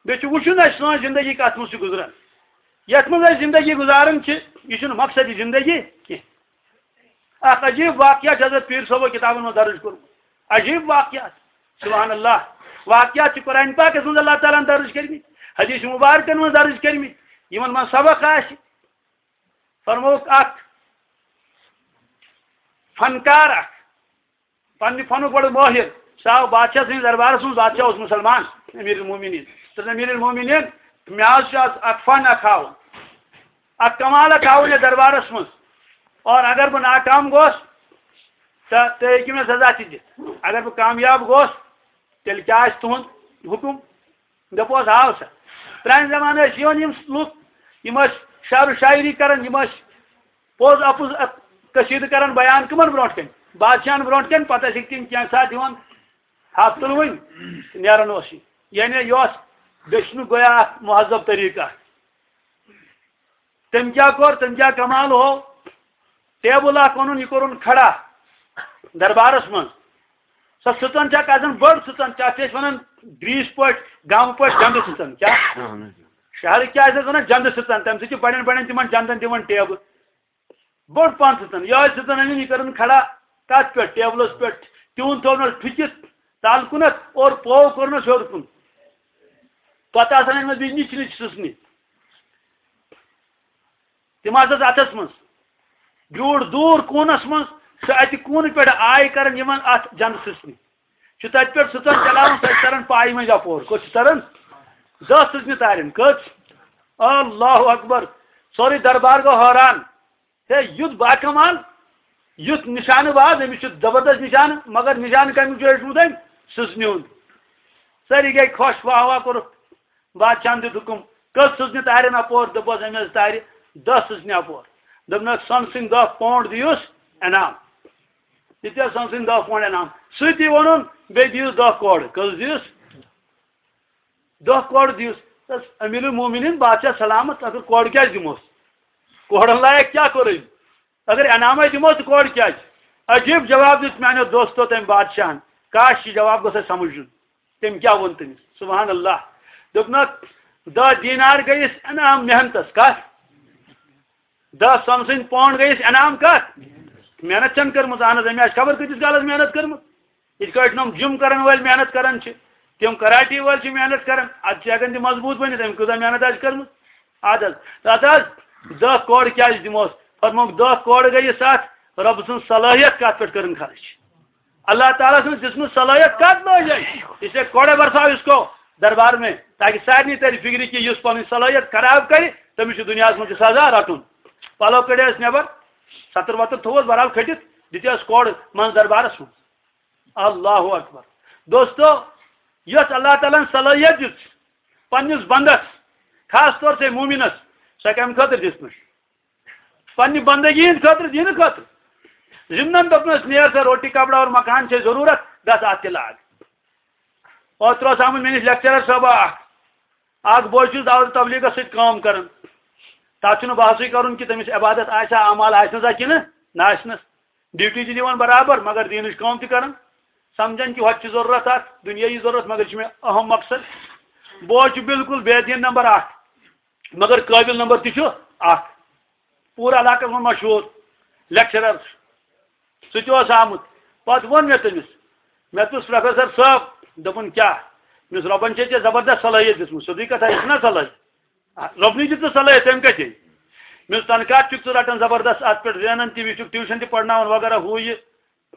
بیٚیہِ چھُ وٕچھُن اَسہِ سٲنۍ زندگی کتھ منٛز چھِ گُزران۔ یتھ منٛز أسۍ زندگی گُزاران چھِ، یہِ چھُنہٕ مقصدِ زندگی کینٛہہ۔ اکھ عجیب واقعہ چھُ حضرت پیٖر صٲبو کِتابن منٛز درٕج کوٚرمُت۔ عجیب واقعہ۔ سبحان اللہ۔ واقعہ چھِ قرآن پاکس منٛز اللہ تعالیٰ ہن درٕج کٔرمٕتۍ، حدیث مبارکن منٛز درٕج کٔرمٕتۍ، یِمن منٛز سبق آسہِ۔ فرمووُکھ، اکھ فنکار اکھ، پننہِ فنُک بڑٕ مٲہِر، سُہ آو بادشاہ سٕنٛدِس دربارس منٛز، بادشاہ اوس مُسلمان، امیر المومنین۔ تہٕ امیر المومنین، مےٚ حظ چھُ اتھ اکھ فن اکھ ہاوُن، اکھ کمال اکھ ہاوُن یتھ دربارس منٛز، اور اگر بہٕ ناکام گوس، تہٕ تُہۍ ہیٚکِو مےٚ سزا تہِ دِتھ۔ اگر بہٕ کامیاب گوس، تیٚلہِ کیٛاہ آسہِ تُہُنٛد حُکُم؟ دوٚپُس، ہاو سا، پرٛانہِ زمانہٕ ٲسۍ یِوان یِم لُکھ، یِم ٲسۍ شعر و شاعری کران، یِم ٲسۍ پوٚز اَپُز اَتھ کٔشیٖرِ کران بیان کٕمن برونٛٹھ کَنہِ؟ بادشاہن برونٛٹھ کَنہِ، پتہٕ ٲسِکھ تِم کینٛژھا دِوان ہفتہٕ وٕنۍ تہٕ نیران اوس یہِ۔ یعنی یہِ اوس دٔچھنُک گویا اکھ مہذب طریٖقہٕ۔ تٔمۍ کیٛاہ کوٚر، تٔمۍ کیٛاہ کمال ہوو؟ ٹیبل اکھ اوٚنُن، یہِ کوٚرُن کھڑا دربارس منٛز۔ سۄ سٕژن چھےٚ کتٮ۪ن بٔڑ سٕژن، تتھ چھِ أسۍ ونان گریٖسۍ پٲٹھۍ، گامہٕ پٲٹھۍ جنٛدٕ سٕژن۔ کیٛاہ؟ شہرٕکۍ کیٛاہ ٲسۍ أسۍ ونان؟ جنٛدٕ سٕژن۔ تَمہِ سۭتۍ چھِ بڑٮ۪ن بڑٮ۪ن تِمن جنٛدن دِوان ٹیبہٕ۔ بٔڑ پہن سٕژن، یِہوٚے سٕژن أنِن، یہِ کٔرٕن کھڑا کتھ پٮ۪ٹھ؟ ٹیبلس پٮ۪ٹھ۔ تیوٗن تھوٚونس ٹھُکِتھ تل کُنتھ اور پوو کوٚرنس ہیوٚر کُن۔ پتہٕ آسان أنۍمٕژ بیٚیہِ نِچہِ نِچہِ سٕژنہِ۔ تِم آسس اتھس منٛز۔ بیوٗٹھ دوٗر کوٗنس منٛز، سُہ اتہِ کوٗنہٕ پٮ۪ٹھ آے کران یِمن اتھ جنٛدٕ سٕژنہِ۔ چھُ تتہِ پٮ۪ٹھ سٕژن چلاوان، سۄ چھِ تران پایہِ منٛز یپور۔ کوٚت چھِ تران؟ دہ سٕژنہِ تارٮ۪ن۔ کٔژ؟ اللہ اکبر۔ سورُے دربار گوٚو حٲران۔ ہے، یُتھ باکمال، یُتھ نشانہٕ باز، أمِس چھُ زبردست نشانہٕ، مگر نشانہٕ کَمیُک چھُ ہیوٚچھمُت أمۍ؟ سٕژنہِ ہُنٛد۔ سٲری گٔے خۄش، واہ واہ کوٚرُکھ۔ بادشاہن دیُت حُکُم، کٔژ سٕژنہِ تارٮ۪ن اَپور؟ دوٚپُس، أمۍ حظ تارِ دَہ سٕژنہِ اَپور۔ دوٚپنَکھ، سۄنہٕ سٕنٛدۍ دَہ پونٛڈ دِیوس انعام۔ دِتِس سۄنہٕ سٕنٛدۍ دَہ پونٛڈ انعام۔ سۭتی ووٚنُن، بیٚیہِ دِیوس دَہ کورٕ۔ کٔژ دِیوس؟ دَہ کورٕ دِیوس۔ دوٚپُس، امیر المومنین، بادشاہ سلامت، اگر کورٕ کیٛازِ دِموس؟ کورن لایق کیٛاہ کوٚر أمۍ؟ اگر انعامے دِمو تہٕ کورٕ کیٛازِ؟ عجیب جواب دیُت میانیو دوستو تٔمۍ بادشاہن۔ کاش، یہِ جواب گوٚژھ اَسہِ سمجھ یُن۔ تٔمۍ کیٛاہ ووٚن تٔمِس؟ سبحان اللہ۔ دوٚپنَکھ، دَہ دینار گٔیَس انعام محنتس۔ کتھ؟ دَہ سۄنہٕ سٕنٛدۍ پونٛڈ گٔیَس انعام کتھ؟ محنت چھَنہٕ کٔرمٕژ۔ اہن حظ، أمۍ آسہِ خبر کۭتِس کالس محنت کٔرمٕژ۔ یِتھ کٲٹھۍ نۄم جم کرن وٲلۍ محنت کران چھِ، تِم کراٹی وٲلۍ چھِ محنت کران، ادٕ چھِ ہٮ۪کان تِم مضبوٗط بٔنِتھ، أمۍ کۭژاہ محنت آسہِ کٔرمٕژ۔ ادٕ حظ، تتھ حظ دَہ کورٕ کیٛازِ دِموس؟ فرمووُکھ، دَہ کورٕ گٔیہِ ستھ، رۄب سٕنٛز صلٲحیت کتھ پٮ۪ٹھ کٔرٕن خرٕچ؟ اللہ تعالیٰ سٕنٛز دِژمٕژ صلٲحیت کتھ لٲج أمۍ؟ اس لیے کوڑے برساو اس کو دربار میں، تاکہ سارنٕے ترِ فکرِ کہِ یُس پنٕنۍ صلٲحیت خراب کرِ، تٔمِس چھُ دُنیاہس منٛز تہِ سزا رٹُن۔ پلو کٔڑۍ أسۍ نٮ۪بر، ستر وتر تھوٚوُس، بہرحال کھٔٹِتھ دِتۍ أسۍ کورٕ منٛز دربارس منٛز۔ اللہ اکبر۔ دوستو، یۄس اللہ تعالیٰ ہن صلٲحیت دِژ پننِس بندس، خاص طور سے مومنس، سۄ کمہِ خٲطرٕ دِژمٕژ؟ پننہِ بندگی ہٕنٛدِ خٲطرٕ، دینہٕ خٲطرٕ۔ ضمنن دوٚپنس، نیر سا، روٹی، کپڑا اور مکان چھے ضروٗرت، گژھ اتھ تہِ لاگ۔ اوترٕ اوس آمُت مےٚ نِش لیکچرر صٲبا اکھ، اکھ بوے چھُس دعوت تبلیغس سۭتۍ کٲم کران۔ تتھ چھُنہٕ بحثٕے کرُن کہِ تٔمِس عبادت آسہِ ہا، اعمال آسہِ نہ سا کِنہٕ نہ آسہِ نہٕ۔ ڈیوٹی تہِ دِوان برابر، مگر دینٕچ کٲم تہِ کران۔ سمجھان کہِ ہۄتہِ چھِ ضروٗرت اکھ دُنیٲیی ضروٗرت، مگر یہِ چھُ مےٚ اہم مقصد۔ بوے چھُ بالکل بے دین نمبر اکھ، مگر قٲبل نمبر تہِ چھُ اکھ۔ پوٗرٕ علاقس منٛز مشہوٗر لیکچرر چھُ۔ سُہ تہِ اوس آمُت۔ پتہٕ ووٚن مےٚ تٔمِس، مےٚ دوٚپُس، پروفیسر صٲب، دوٚپُن، کیٛاہ؟ مےٚ دوٚپُس، رۄبن چھے ژےٚ زبردست صلٲحیت دِژمٕژ، سیوٚدُے کتھا، یہِ چھُنہ صلٲحیت۔ رۄبنٕے دیُت ژےٚ صلٲحیت، تٔمۍ کتہِ؟ مےٚ دوٚپُس، تنخواہ تہِ چھُکھ ژٕ رٹان زبردست، اتھ پٮ۪ٹھ زینان تہِ، یہِ چھُکھ ٹیوٗشن تہِ پرناوان وغیرہ، ہُہ یہِ،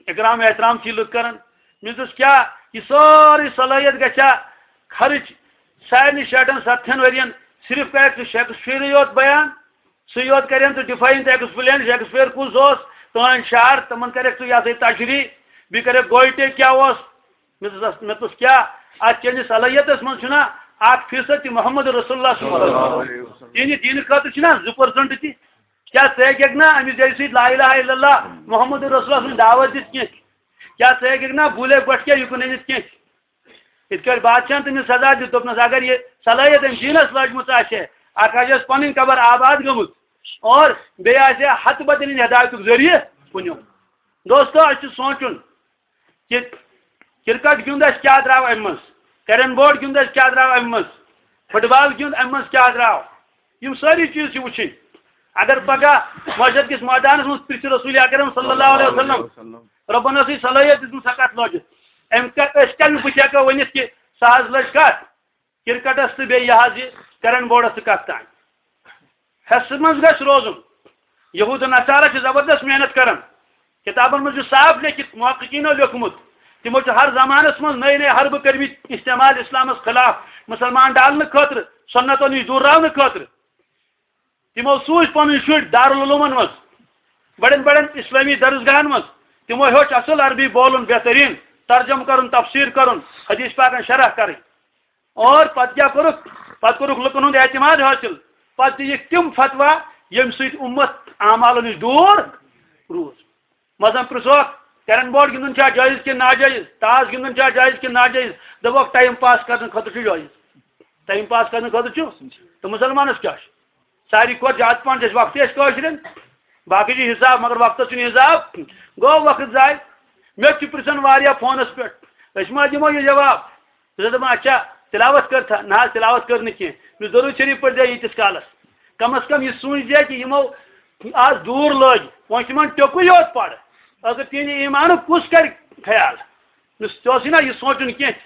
اکرام احترام چھِ لُکھ کران۔ مےٚ دوٚپُس، کیٛاہ یہِ سٲرٕے صلٲحیت گژھِ ہا خرٕچ سارنٕے شیٹھن ستتھن ؤرین؟ صرف کرکھ ژٕ شیکسپیئرٕے یوت بیان، سُے یوت کرن ژٕ ڈیفائن تہٕ ایکسپلین، شیکسپیئر کُس اوس، تہنٛدۍ شعر، تِمن کرکھ ژٕ یہِ ہسا یہِ تشریح، بیٚیہِ کرکھ گویٹے کیٛاہ اوس۔ مےٚ دوٚپُس، مےٚ دوٚپُس، کیٛاہ اتھ چٲنِس صلٲحیتس منٛز چھُنا اکھ فیصد تہِ محمد رسول اللہ صلی اللہ علیہ وسلم؟ یعنی دینہٕ خٲطرٕ چھُنا زٕ پٔرسنٹ تہِ؟ کیٛاہ ژٕ ہیٚککھ نا أمِس جایہِ سۭتۍ لا الہ الا اللہ محمد رسول اللہ سٕنٛز دعوت دِتھ کینٛہہ؟ کیٛاہ ژٕ ہیٚککھ نا بوٗلے گۄٹھ کیٛاہ یُکُن أنِتھ کینٛہہ؟ یِتھ کٲٹھۍ بادشاہن تٔمِس سزا دیُت، دوٚپنس، اگر یہِ صلٲحیت أمۍ دیٖنس لٲجمٕژ آسہِ ہے، اکھ آسہِ اَسہِ پنٕنۍ قبر آباد گٔمٕژ، اور بیٚیہِ آسہِ ہے ہتہٕ بدل ہدایتُک ذٔریعہٕ کُنیُک۔ دوستو، اَسہِ چھُ سونٛچُن کہِ کرکٹ گیُنٛد اَسہِ کیٛاہ درٛاو اَمہِ منٛز، کیرم بورڈ گیُنٛد اَسہِ کیٛاہ درٛاو اَمہِ منٛز، فٹ بال گیُنٛد اَمہِ منٛز کیٛاہ درٛاو، یِم سٲری چیٖز چھِ وٕچھِنۍ۔ اگر پگاہ معاشر کِس مٲدانس منٛز پرٛژھِ رسول اکرم صلی اللہ علیہ وسلم، رۄبن ٲسٕے صلٲحیت دِژمٕژ، سۄ کتھ لٲجِتھ؟ أمۍ کتھ، أسۍ کمہِ بُتھِ ہٮ۪کو ؤنِتھ کہِ سۄ حظ لٔج کتھ کرکٹس تہٕ بیٚیہِ یہِ حظ یہِ کیرم بورڈس تہٕ کتھ تام؟ حصہٕ منٛز گژھِ روزُن۔ یہود و نصارہ چھِ زبردست محنت کران۔ کتابن منٛز چھُ صاف لیکھِتھ، محققینو لیوٚکھمُت، تِمو چھُ ہر زمانس منٛز نٔے نٔے حربہٕ کٔرمٕتۍ استعمال اسلامس خلاف، مسلمان ڈالنہٕ خٲطرٕ، سنتو نِش دوٗر راونہٕ خٲطرٕ۔ تِمو سوٗزۍ پنٕنۍ شُرۍ دارالعلومن منٛز، بڑٮ۪ن بڑٮ۪ن اسلٲمی درسگاہن منٛز۔ تِمو ہیوٚچھ اصل عربی بولُن بہتریٖن، ترجمہٕ کرُن، تفسیٖر کرُن، حدیث پاکن شرح کرٕنۍ۔ اور پتہٕ کیٛاہ کوٚرُکھ؟ پتہٕ کوٚرُکھ لُکن ہُنٛد اعتماد حٲصِل۔ پتہٕ دِیِکھ تِم فتوا، ییٚمہِ سۭتۍ اُمت اعمالو نِش دوٗر روٗز۔ مثلاً پرٛژھوکھ، کیرم بورڈ گِنٛدُن چھا جٲیِز کِنہٕ ناجٲیِز؟ تاش گِنٛدُن چھا جٲیِز کِنہٕ ناجٲیِز؟ دَپوکھ، ٹایم پاس کرنہٕ خٲطرٕ چھُ جٲیِز۔ ٹایم پاس کرنہٕ خٲطرٕ چھُ۔ تہٕ مُسلمانَس کیٛاہ چھُ؟ ساروی کھۄتہٕ زیادٕ پَہَن چھِ اَسہِ وقتٕے اَسہِ کٲشرٮ۪ن۔ باقٕے چھِ حِساب، مگر وقتَس چھُنہٕ حِساب۔ گوٚو وقت ضایع۔ مےٚ تہِ چھِ پرٛژھان واریاہ فونَس پٮ۪ٹھ، أسۍ ما دِمو یہِ جواب؟ بہٕ چھُس دَپان، اچھا، تِلاوت کٔر تھا؟ نہ حظ، تِلاوت کٔر نہٕ کینٛہہ۔ مےٚ دوٚپ، ضروٗر شریٖف پٔرۍ زِ ییٖتِس کالَس۔ کم از کم یہِ سوٗنٛچ زِ کہِ یِمو آز دوٗر لٲگۍ، وۄنۍ چھُ یِمَن ٹیوٚکُے یوت پَرٕ۔ اگر تِہِنٛدِ ایٖمانُک کُس کَرِ خیال؟ مےٚ دوٚپُس، ژےٚ اوسُے نہ یہِ سونٛچُن کینٛہہ؟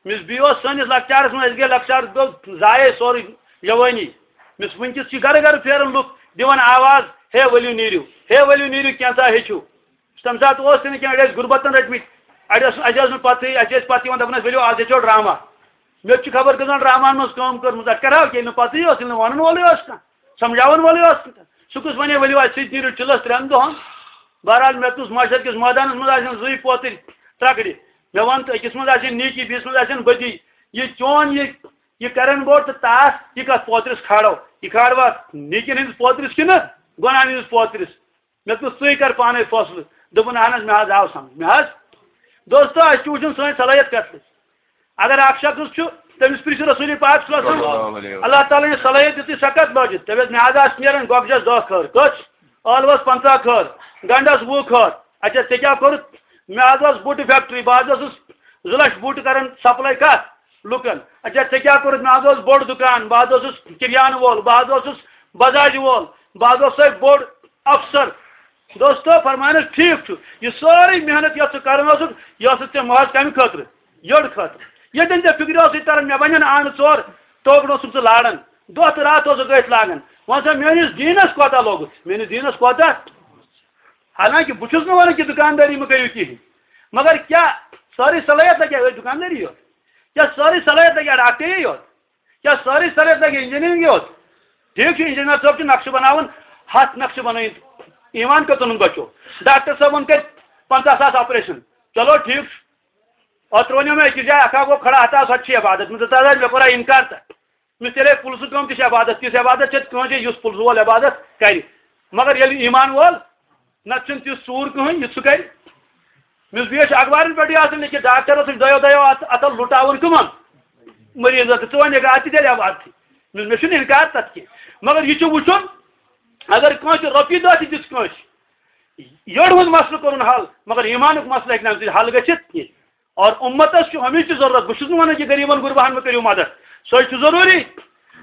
مےٚ دوٚپُس، بیٚیہِ اوس سٲنِس لۄکچارَس منٛز، اَسہِ گٔے لۄکچار، گوٚو ضایع سورُے جوٲنی۔ مےٚ دوٚپُس، وٕنکیٚس چھِ گَرٕ گَرٕ پھیران لُکھ دِوان آواز، ہے ؤلِو نیٖرِو، ہے ؤلِو نیٖرِو، کینٛژھا ہیٚچھِو۔ تَمہِ ساتہٕ اوس تہِ نہٕ کینٛہہ، أڑۍ ٲسۍ غُربتَن رٔٹمٕتۍ، اَڑِ ٲس، اَسہِ ٲس نہٕ پَتہٕے، اَسہِ ٲسۍ پَتہٕ یِوان دَپان ٲسۍ، ؤلِو آز ہیٚچھو ڈرٛاما۔ مےٚ تہِ چھُ خبر کٔژَن ڈرٛاماہَن منٛز کٲم کٔرمٕژ، اَتھ کَرٕ ہا کینٛہہ، ییٚلہِ نہٕ پَتہٕے اوس، ییٚلہِ نہٕ وَنَن وولٕے اوس کانٛہہ، سَمجھاوَن وولٕے اوس نہٕ کانٛہہ۔ سُہ کُس وَنے، ؤلِو اَسہِ سۭتۍ نیٖرِو چِلَس ترٛٮ۪ن دۄہَن۔ بہرحال، مےٚ تُس مَشہَر کِس مٲدانَس منٛز آسن زٕے پوتٕرۍ ترٛکڑِ۔ مےٚ وَن تہٕ أکِس منٛز آسن نیٖکی، بیٚیِس منٛز آسن بٔدی۔ یہِ چون یہِ، یہِ کیرم بورڈ تہٕ تاش، یہِ کَتھ پوترِس کھالو؟ یہِ کھالوا نیٖکِن ہٕنٛدِس پوترِس کِنہٕ گۄناہَن ہٕنٛدِس پوترِس؟ مےٚ دوٚپ، ژٕے کر پانے فٲصلہٕ۔ دوٚپُن، اہن حظ، مےٚ حظ آو سمجھ۔ مےٚ حظ، دوستو، اَسہِ چھُ وٕچھُن سٲنۍ صلٲحیت کَتھ چھِ۔ اگر اکھ شخص چھُ، تٔمِس پرٛژھِو رسول پاک صلی اللہ علیہ وسلم، صلی اللہ علیہ وسلم۔ اللہ تعالیٰ ہن یہِ صلٲحیت دِژٕے، سۄ کَتھ لٲجِتھ؟ تٔمِس مےٚ حظ آسہٕ نیران گۄگجس دہ کھٲر، کٔژ؟ ٲلوَس پنٛژاہ کھٲر، گنڈس وُہ کھٲر۔ اچھا، ژےٚ کیٛاہ کوٚرُتھ؟ مےٚ حظ ٲس بوٗٹہٕ فیکٹری، بہٕ حظ اوسُس زٕ لچھ بوٗٹہٕ کران سپلاے کَتھ؟ لُکن۔ اچھا، ژےٚ کیٛاہ کوٚرُتھ؟ مےٚ حظ اوس بوٚڑ دُکان، بہٕ حظ اوسُس کِریانہٕ وول، بہٕ حظ اوسُس بازارِ وول، بہٕ حظ اوسُس سُے بوٚڑ افسر۔ دوستو، فرمانس ٹھیک چھُ، یہِ سٲرٕے محنت یۄس ژٕ کران اوسُکھ، یہِ ٲسٕتھ ژےٚ محض کمہِ خٲطرٕ؟ یٔڑ خٲطرٕ۔ ییٚتٮ۪ن ژےٚ فکرِ اوسُے تران، مےٚ بنن آنہٕ ژور، توکن اوسُکھ ژٕ لاران، دۄہ تہٕ راتھ اوسُکھ أتھۍ لاگان۔ وۄنۍ سا میٲنِس دیٖنس کوتاہ لوٚگُتھ؟ میٲنِس دیٖنس کوتاہ؟ حالانکہ بہٕ چھُس نہٕ ونان کہِ دُکاندٲری مہٕ کٔرِو کِہیٖنۍ، مگر کیٛاہ سٲرٕے صلٲحیت لگہِ أتھۍ دُکاندٲری یوت؟ کیٛاہ سٲرٕے صلٲحیت لگہِ ڈاکٹری یوت؟ کیٛاہ سٲرٕے صلٲحیت لگہِ انجینئرنگ یوت؟ ٹھیک چھُ، انجینئر صٲب چھُ نقشہٕ بناوان، ہتھ نقشہٕ بنٲوِتھ، ایمان کتُن بچو؟ ڈاکٹر صٲبن کٔرۍ پنٛژاہ ساس آپریشن، چلو ٹھیک چھُ۔ اوترٕ ونیو مےٚ أکِس جایہِ، اکھ ہا گوٚو کھڑا، ہتاہ سۄ تہِ چھِ عبادت۔ مےٚ دوٚپ، تَتھ حظ مےٚ کوٚرا انکار تہٕ۔ مےٚ تیٚلے پُلسہٕ کٲم تہِ چھِ عبادت، تِژھ عبادت چھےٚ کٲنٛسہِ، یُس پُلسہٕ وول عبادت کرِ۔ مگر ییٚلہِ ایمان وول، نتہٕ چھُنہٕ تیُتھ ژوٗر کٕہٕنۍ، یُتھ سُہ کرِ۔ مےٚ اوس بیٚیہِ چھُ اخبارن پٮ۪ٹھٕے آسان لیکھِتھ، ڈاکٹر اوسُکھ دۄیو دۄیو اتھ، اتھو لُٹاوان کٕمن؟ مریضن۔ تہٕ ژٕ ونکھ اتھ تہِ تیٚلہِ عبادتھٕے۔ مےٚ، مےٚ چھُنہٕ انکار تتھ کینٛہہ، مگر یہِ چھُ وُچھُن، اگر کٲنٛسہِ رۄپیہِ دہ تہِ دِژ کٲنٛسہِ، یٔڑ ہُنٛد مسلہٕ کوٚرُن حل، مگر ایمانُک مسلہٕ ہیٚکہِ نہٕ اَمہِ سۭتۍ حل گٔژھِتھ کینٛہہ۔ اور اُمتس چھُ ہمیشہِ ضروٗرت۔ بہٕ چھُس نہٕ وَنان کہِ غریٖبن غُرباہن مہٕ کٔرِو مدد، سۄے چھُ ضروٗری۔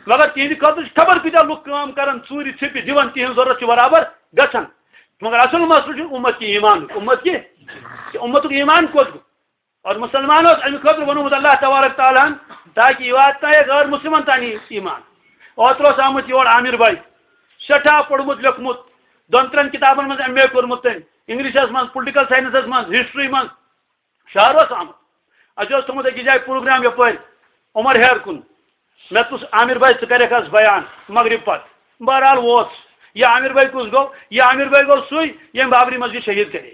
مگر تِہنٛدِ خٲطرٕ چھِ خبر کۭتیٛاہ لُکھ کٲم کران، ژوٗرِ ژھیٚپہِ دِوان، تِہنٛز ضروٗرت چھِ برابر گژھان۔ مگر اصل مسلہٕ چھُ اُمت کہِ ایمانُک۔ اُمت کہِ، کہِ اُمتُک ایمان کوٚت گوٚو؟ اور مسلمانو اوس اَمہِ خٲطرٕ ووٚنمُت اللہ تبارک تعالیٰ ہن، تاکہِ یہِ واتنایہِ غٲر مسلمن تام یہِ ایمان۔ اوترٕ اوس آمُت یور عامر بھائی، سٮ۪ٹھاہ پوٚرمُت لیوٚکھمُت، دۄن ترٛٮ۪ن کِتابن منٛز ایم اے کوٚرمُت تٔمۍ، انگلشس منٛز، پُلٹیکل ساینسس منٛز، ہسٹری منٛز۔ شہر اوس آمُت۔ اَسہِ اوس تھوٚمُت أکِس جایہِ پروگرام یَپٲرۍ عمر ہیر کُن۔ مےٚ دوٚپُس، "عامر بھائی، ژٕ کَرٮ۪کھ حظ بیان مغرب پتہٕ؟" بہرحال ووت۔ یہِ عامر بھائی کُس گوٚو؟ یہِ عامر بھائی گوٚو سُے، ییٚمۍ بابری مسجد شہیٖد کَرے،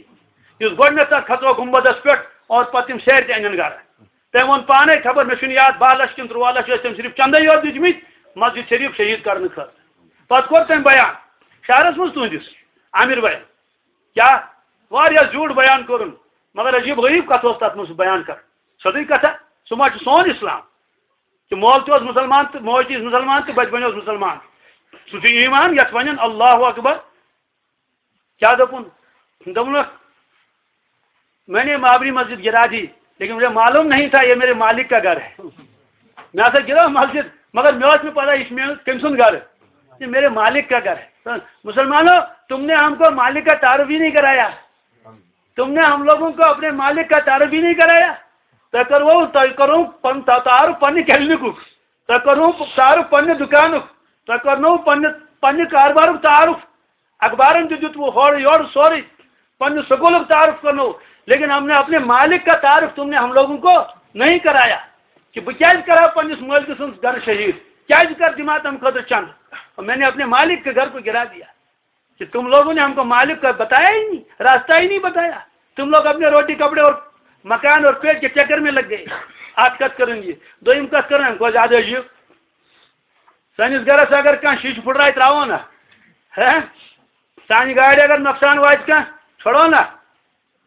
یُس گۄڈٕنٮ۪تھ تَتھ کھژرو گُنبدس پٮ۪ٹھ اور پَتہٕ تِم سیرِ تہِ اَنن گرٕ۔ تٔمۍ ووٚن پانے، خبر مےٚ چھُنہٕ یاد، باہ لَچھ کِنہٕ تُرٛواہ لَچھ ٲسۍ تٔمۍ صرف چندے یوت دِتمٕتۍ مسجد شریف شہیٖد کرنہٕ خٲطرٕ۔ پَتہٕ کوٚر تٔمۍ بیان شہرس منٛز تُہنٛدِس عامر بھائی۔ کیٛاہ؟ واریاہ زیوٗٹھ بیان کوٚرُن، مگر عجیٖب غریٖب کَتھ اوس تَتھ منٛز سُہ بیان کَران۔ سیوٚدُے کَتھا، سُہ ما چھُ سون اِسلام؟ کہِ مول تہِ اوس مُسلمان تہٕ موج تہِ ٲس مُسلمان تہٕ بَچہِ بَنیوس مُسلمان۔ سُہ چھُ ایٖمان یَتھ وَنان اللہ اکبر۔ کیٛاہ دوٚپُن؟ دوٚپُن، "میں نے بابری مسجد گرا دی، لیکن مجھے معلوم نہیں تھا یہ میرے مالک کا گھر ہے۔" مےٚ ہسا گرٲو مسجد، مگر مےٚ اوس نہٕ پتہ یہِ چھُ میون، کٔمۍ سُنٛد گرٕ۔ یہ میرے مالک کا گھر ہے۔ مسلمانوں، تم نے ہم کو مالک کا تعارف ہی نہیں کرایا۔ تم نے ہم لوگوں کو اپنے مالک کا تعارف ہی نہیں کرایا۔ تۄہہِ کوٚروٕ، تۄہہِ کوٚروٕ پن-، تا-، تعارف پننہِ کلینکُک، تۄہہِ کوٚروٕ تعارف پننہِ دُکانُک، تۄہہِ کوٚرنوٕ پننہِ، پننہِ کاربارُک تعارف۔ اخبارن تہِ دیُت وۄنۍ ہورٕ یورٕ سورُے، پننہِ سکوٗلُک تعارُف کرنوو، لیکن ہم نے اپنے مالک کا تعارف تم نے ہم لوگوں کو نہیں کرایا، کہ بہٕ کیازِ کرٕ ہا پننِس مٲلکہٕ سُنٛد گرٕ شہیٖد، کیازِ کرٕ دِمہٕ ہا تمہِ خٲطرٕ چندٕ؟ اور میں نے اپنے مالک کے گھر کو گرا دیا کہ تم لوگوں نے ہم کو مالک کا بتایا ہی نہیں، راستہ ہی نہیں بتایا۔ تم لوگ اپنے روٹی، کپڑے اور مکان اور پیٹ کے چکر میں لگ گئے۔ اکھ کتھ کران یہِ، دوٚیِم کتھ کران، گوٚو زیادٕ عجیٖب۔ سٲنِس گرس اگر کانٛہہ شیٖشہٕ پھٕٹرایہِ ترٛاوو نا، ہے، سانہِ گاڑِ اگر نۄقصان واتہِ کانٛہہ، چھۄڑو نا۔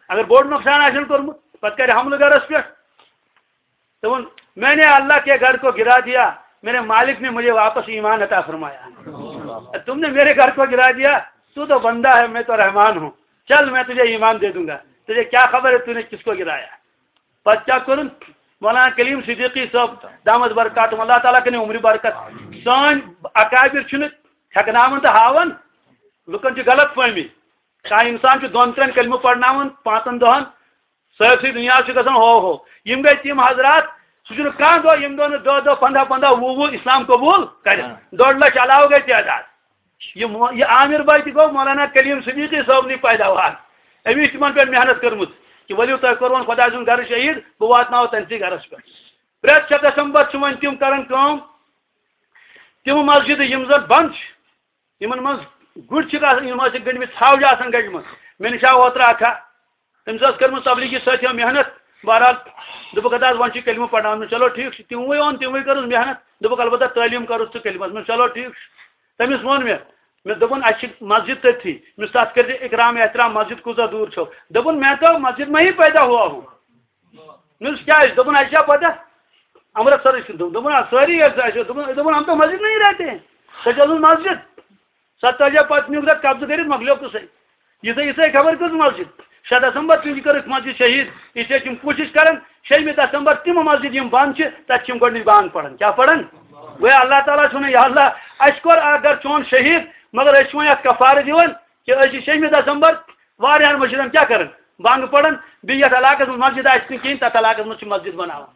اگر بوٚڑ نۄقصان آسن کوٚرمُت، پتہٕ کرِ حملہٕ گرس پٮ۪ٹھ۔ تو میں نے اللہ کے گھر کو گرا دیا، میرے مالک نے مجھے واپس ایمان عطا فرمایا۔ تم نے میرے گھر کو گرا دیا، تو تو بندہ ہے، میں تو رحمان ہوں، چل میں تجھے ایمان دے دوں گا، تجھے کیا خبر ہے تو نے کس کو گرایا۔ پتہٕ کیٛاہ کوٚرُن؟ مولانا کلیم صدیقی صٲب دامت برکاتہم، اللہ تعالیٰ کٔرِن عمرِ برکت۔ سٲنۍ اکابر چھِنہٕ ہٮ۪کناوان تہٕ ہاوان، لُکن چھِ غلط فہمی۔ کانٛہہ انسان چھُ دۄن ترٛٮ۪ن کلمہٕ پرناوان پانٛژن دۄہن، سٲرسٕے دُنیاہس چھُ گژھان ہو ہو۔ یِم گٔے تِم حضرات، سُہ چھُنہٕ کانٛہہ دۄہ، یِم دۄہ نہٕ دَہ دَہ، پنٛداہ پنٛداہ، وُہ وُہ اسلام قبول کرِ۔ ہاں۔ ڈۄڈ لچھ علاوٕ گٔے تعداد۔ یہِ مو-، یہِ عامر بھائی تہِ گوٚو مولانا کلیم صدیقی صٲبنٕے پیداوار۔ أمِس چھِ تِمن پٮ۪ٹھ محنت کٔرمٕژ کہِ ؤلِو تۄہہِ کوٚروٕ خۄداے سُنٛد گرٕ شہیٖد، بہٕ واتناوو تٔمسٕے گرس پٮ۪ٹھ۔ پرٛٮ۪تھ شےٚ دسمبر چھِ وۄنۍ تِم کران کٲم، تِم مسجدٕ یِم زن بنٛد چھِ، یِمن منٛز گُرۍ چھِکھ آسان، یِم ٲسِکھ گٔنٛڈمٕتۍ، ژھاوجہِ آسان گٔنٛڈمٕژ۔ مےٚ نِش آو اوترٕ اکھ ہا، تٔمِس ٲس کٔرمٕژ تبلیغی سۭتۍ ہم محنت۔ بہرحال دوٚپُکھ، "اَدٕ حظ وۄنۍ چھِ کلمہٕ پرناوُن۔" چلو ٹھیٖک چھُ، تِموٕے اوٚن، تِموٕے کٔرٕس محنت۔ دوٚپُکھ، "البتہ تعلیٖم کَرُس تہٕ کلمس منٛز۔" چلو ٹھیٖک چھُ۔ تٔمِس ووٚن مےٚ، مےٚ دوٚپُن، "اَسہِ چھِ مسجد تٔتھی۔" مےٚ دوٚپُس، "تَتھ کٔرۍزِ اکرام احترام، مسجد کۭژاہ دوٗر چھو؟" دوٚپُن، "میں تو مسجد میں ہی پیدا ہوا ہوں۔" مےٚ دوٚپُس، "کیٛازِ؟" دوٚپُن، "اَسہِ چھا پتہ امرتسرٕچ کِنہٕ؟" دوٚپ-، دوٚپُن، "آ، سٲری ییٚتہِ چھِ اَسہِ۔" دوٚپُن، دوٚپُن، "ہم تو مسجد میں ہی رہتے ہیں۔" سۄ چھِ ٲسمٕژ مسجد۔ سۄ تۄہہِ چھا پتہٕ نیوٗکھ تَتھ قبضہٕ کٔرِتھ، مۄکلیو قٕصَے۔ یِژھے، یِژھے خبر کٔژ مسجد؟ شےٚ دسمبر تِم چھِ کٔرٕکھ مسجد شہیٖد۔ اِسلیے چھِ یِم کوٗشِش کران، شیٚیِمہِ دسمبر تِم مسجد یِم بنٛد چھِ، تَتہِ چھِ یِم گۄڈٕنِچ بانگ پران۔ کیٛاہ پران؟ گویا اللہ تعالیٰ چھُ وَنان، یا اللہ، اَسہِ کوٚر اکھ گرٕ چون شہیٖد، مگر أسۍ چھِ وۄنۍ اَتھ کفارٕ دِوان کہِ أسۍ چھِ شیٚیِمہِ دسمبر واریاہن مسجدن کیٛاہ کران؟ بانگ پران۔ بیٚیہِ یَتھ علاقس منٛز مسجد آسہِ نہٕ کِہیٖنۍ، تَتھ علاقس منٛز چھِ مسجد بناوان۔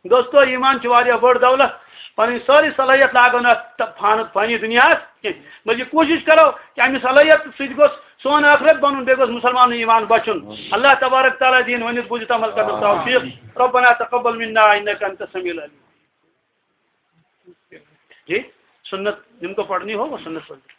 دوستو، ایمان چھِ واریاہ بٔڑ دولت۔ پنٕنۍ سٲرٕے صلٲحیت لاگو نہٕ اَتھ فان-، فانی دُنیاہَس کینٛہہ، بلکہِ کوٗشِش کرو کہِ اَمہِ صلٲحیت سۭتۍ گوٚژھ سون ٲخرت بنُن، بیٚیہِ گوٚژھ مُسلمانُن ایمان بچُن۔ اللہ تبارک تعالیٰ دِیِن ؤنِتھ بوٗزِتھ عمل کرنُک توفیق۔ ربنا تقبل منا انک انت السمیع العلیم۔ جی، سنت جن کو پڑھنی ہو وہ سنت پڑھ لیجیے۔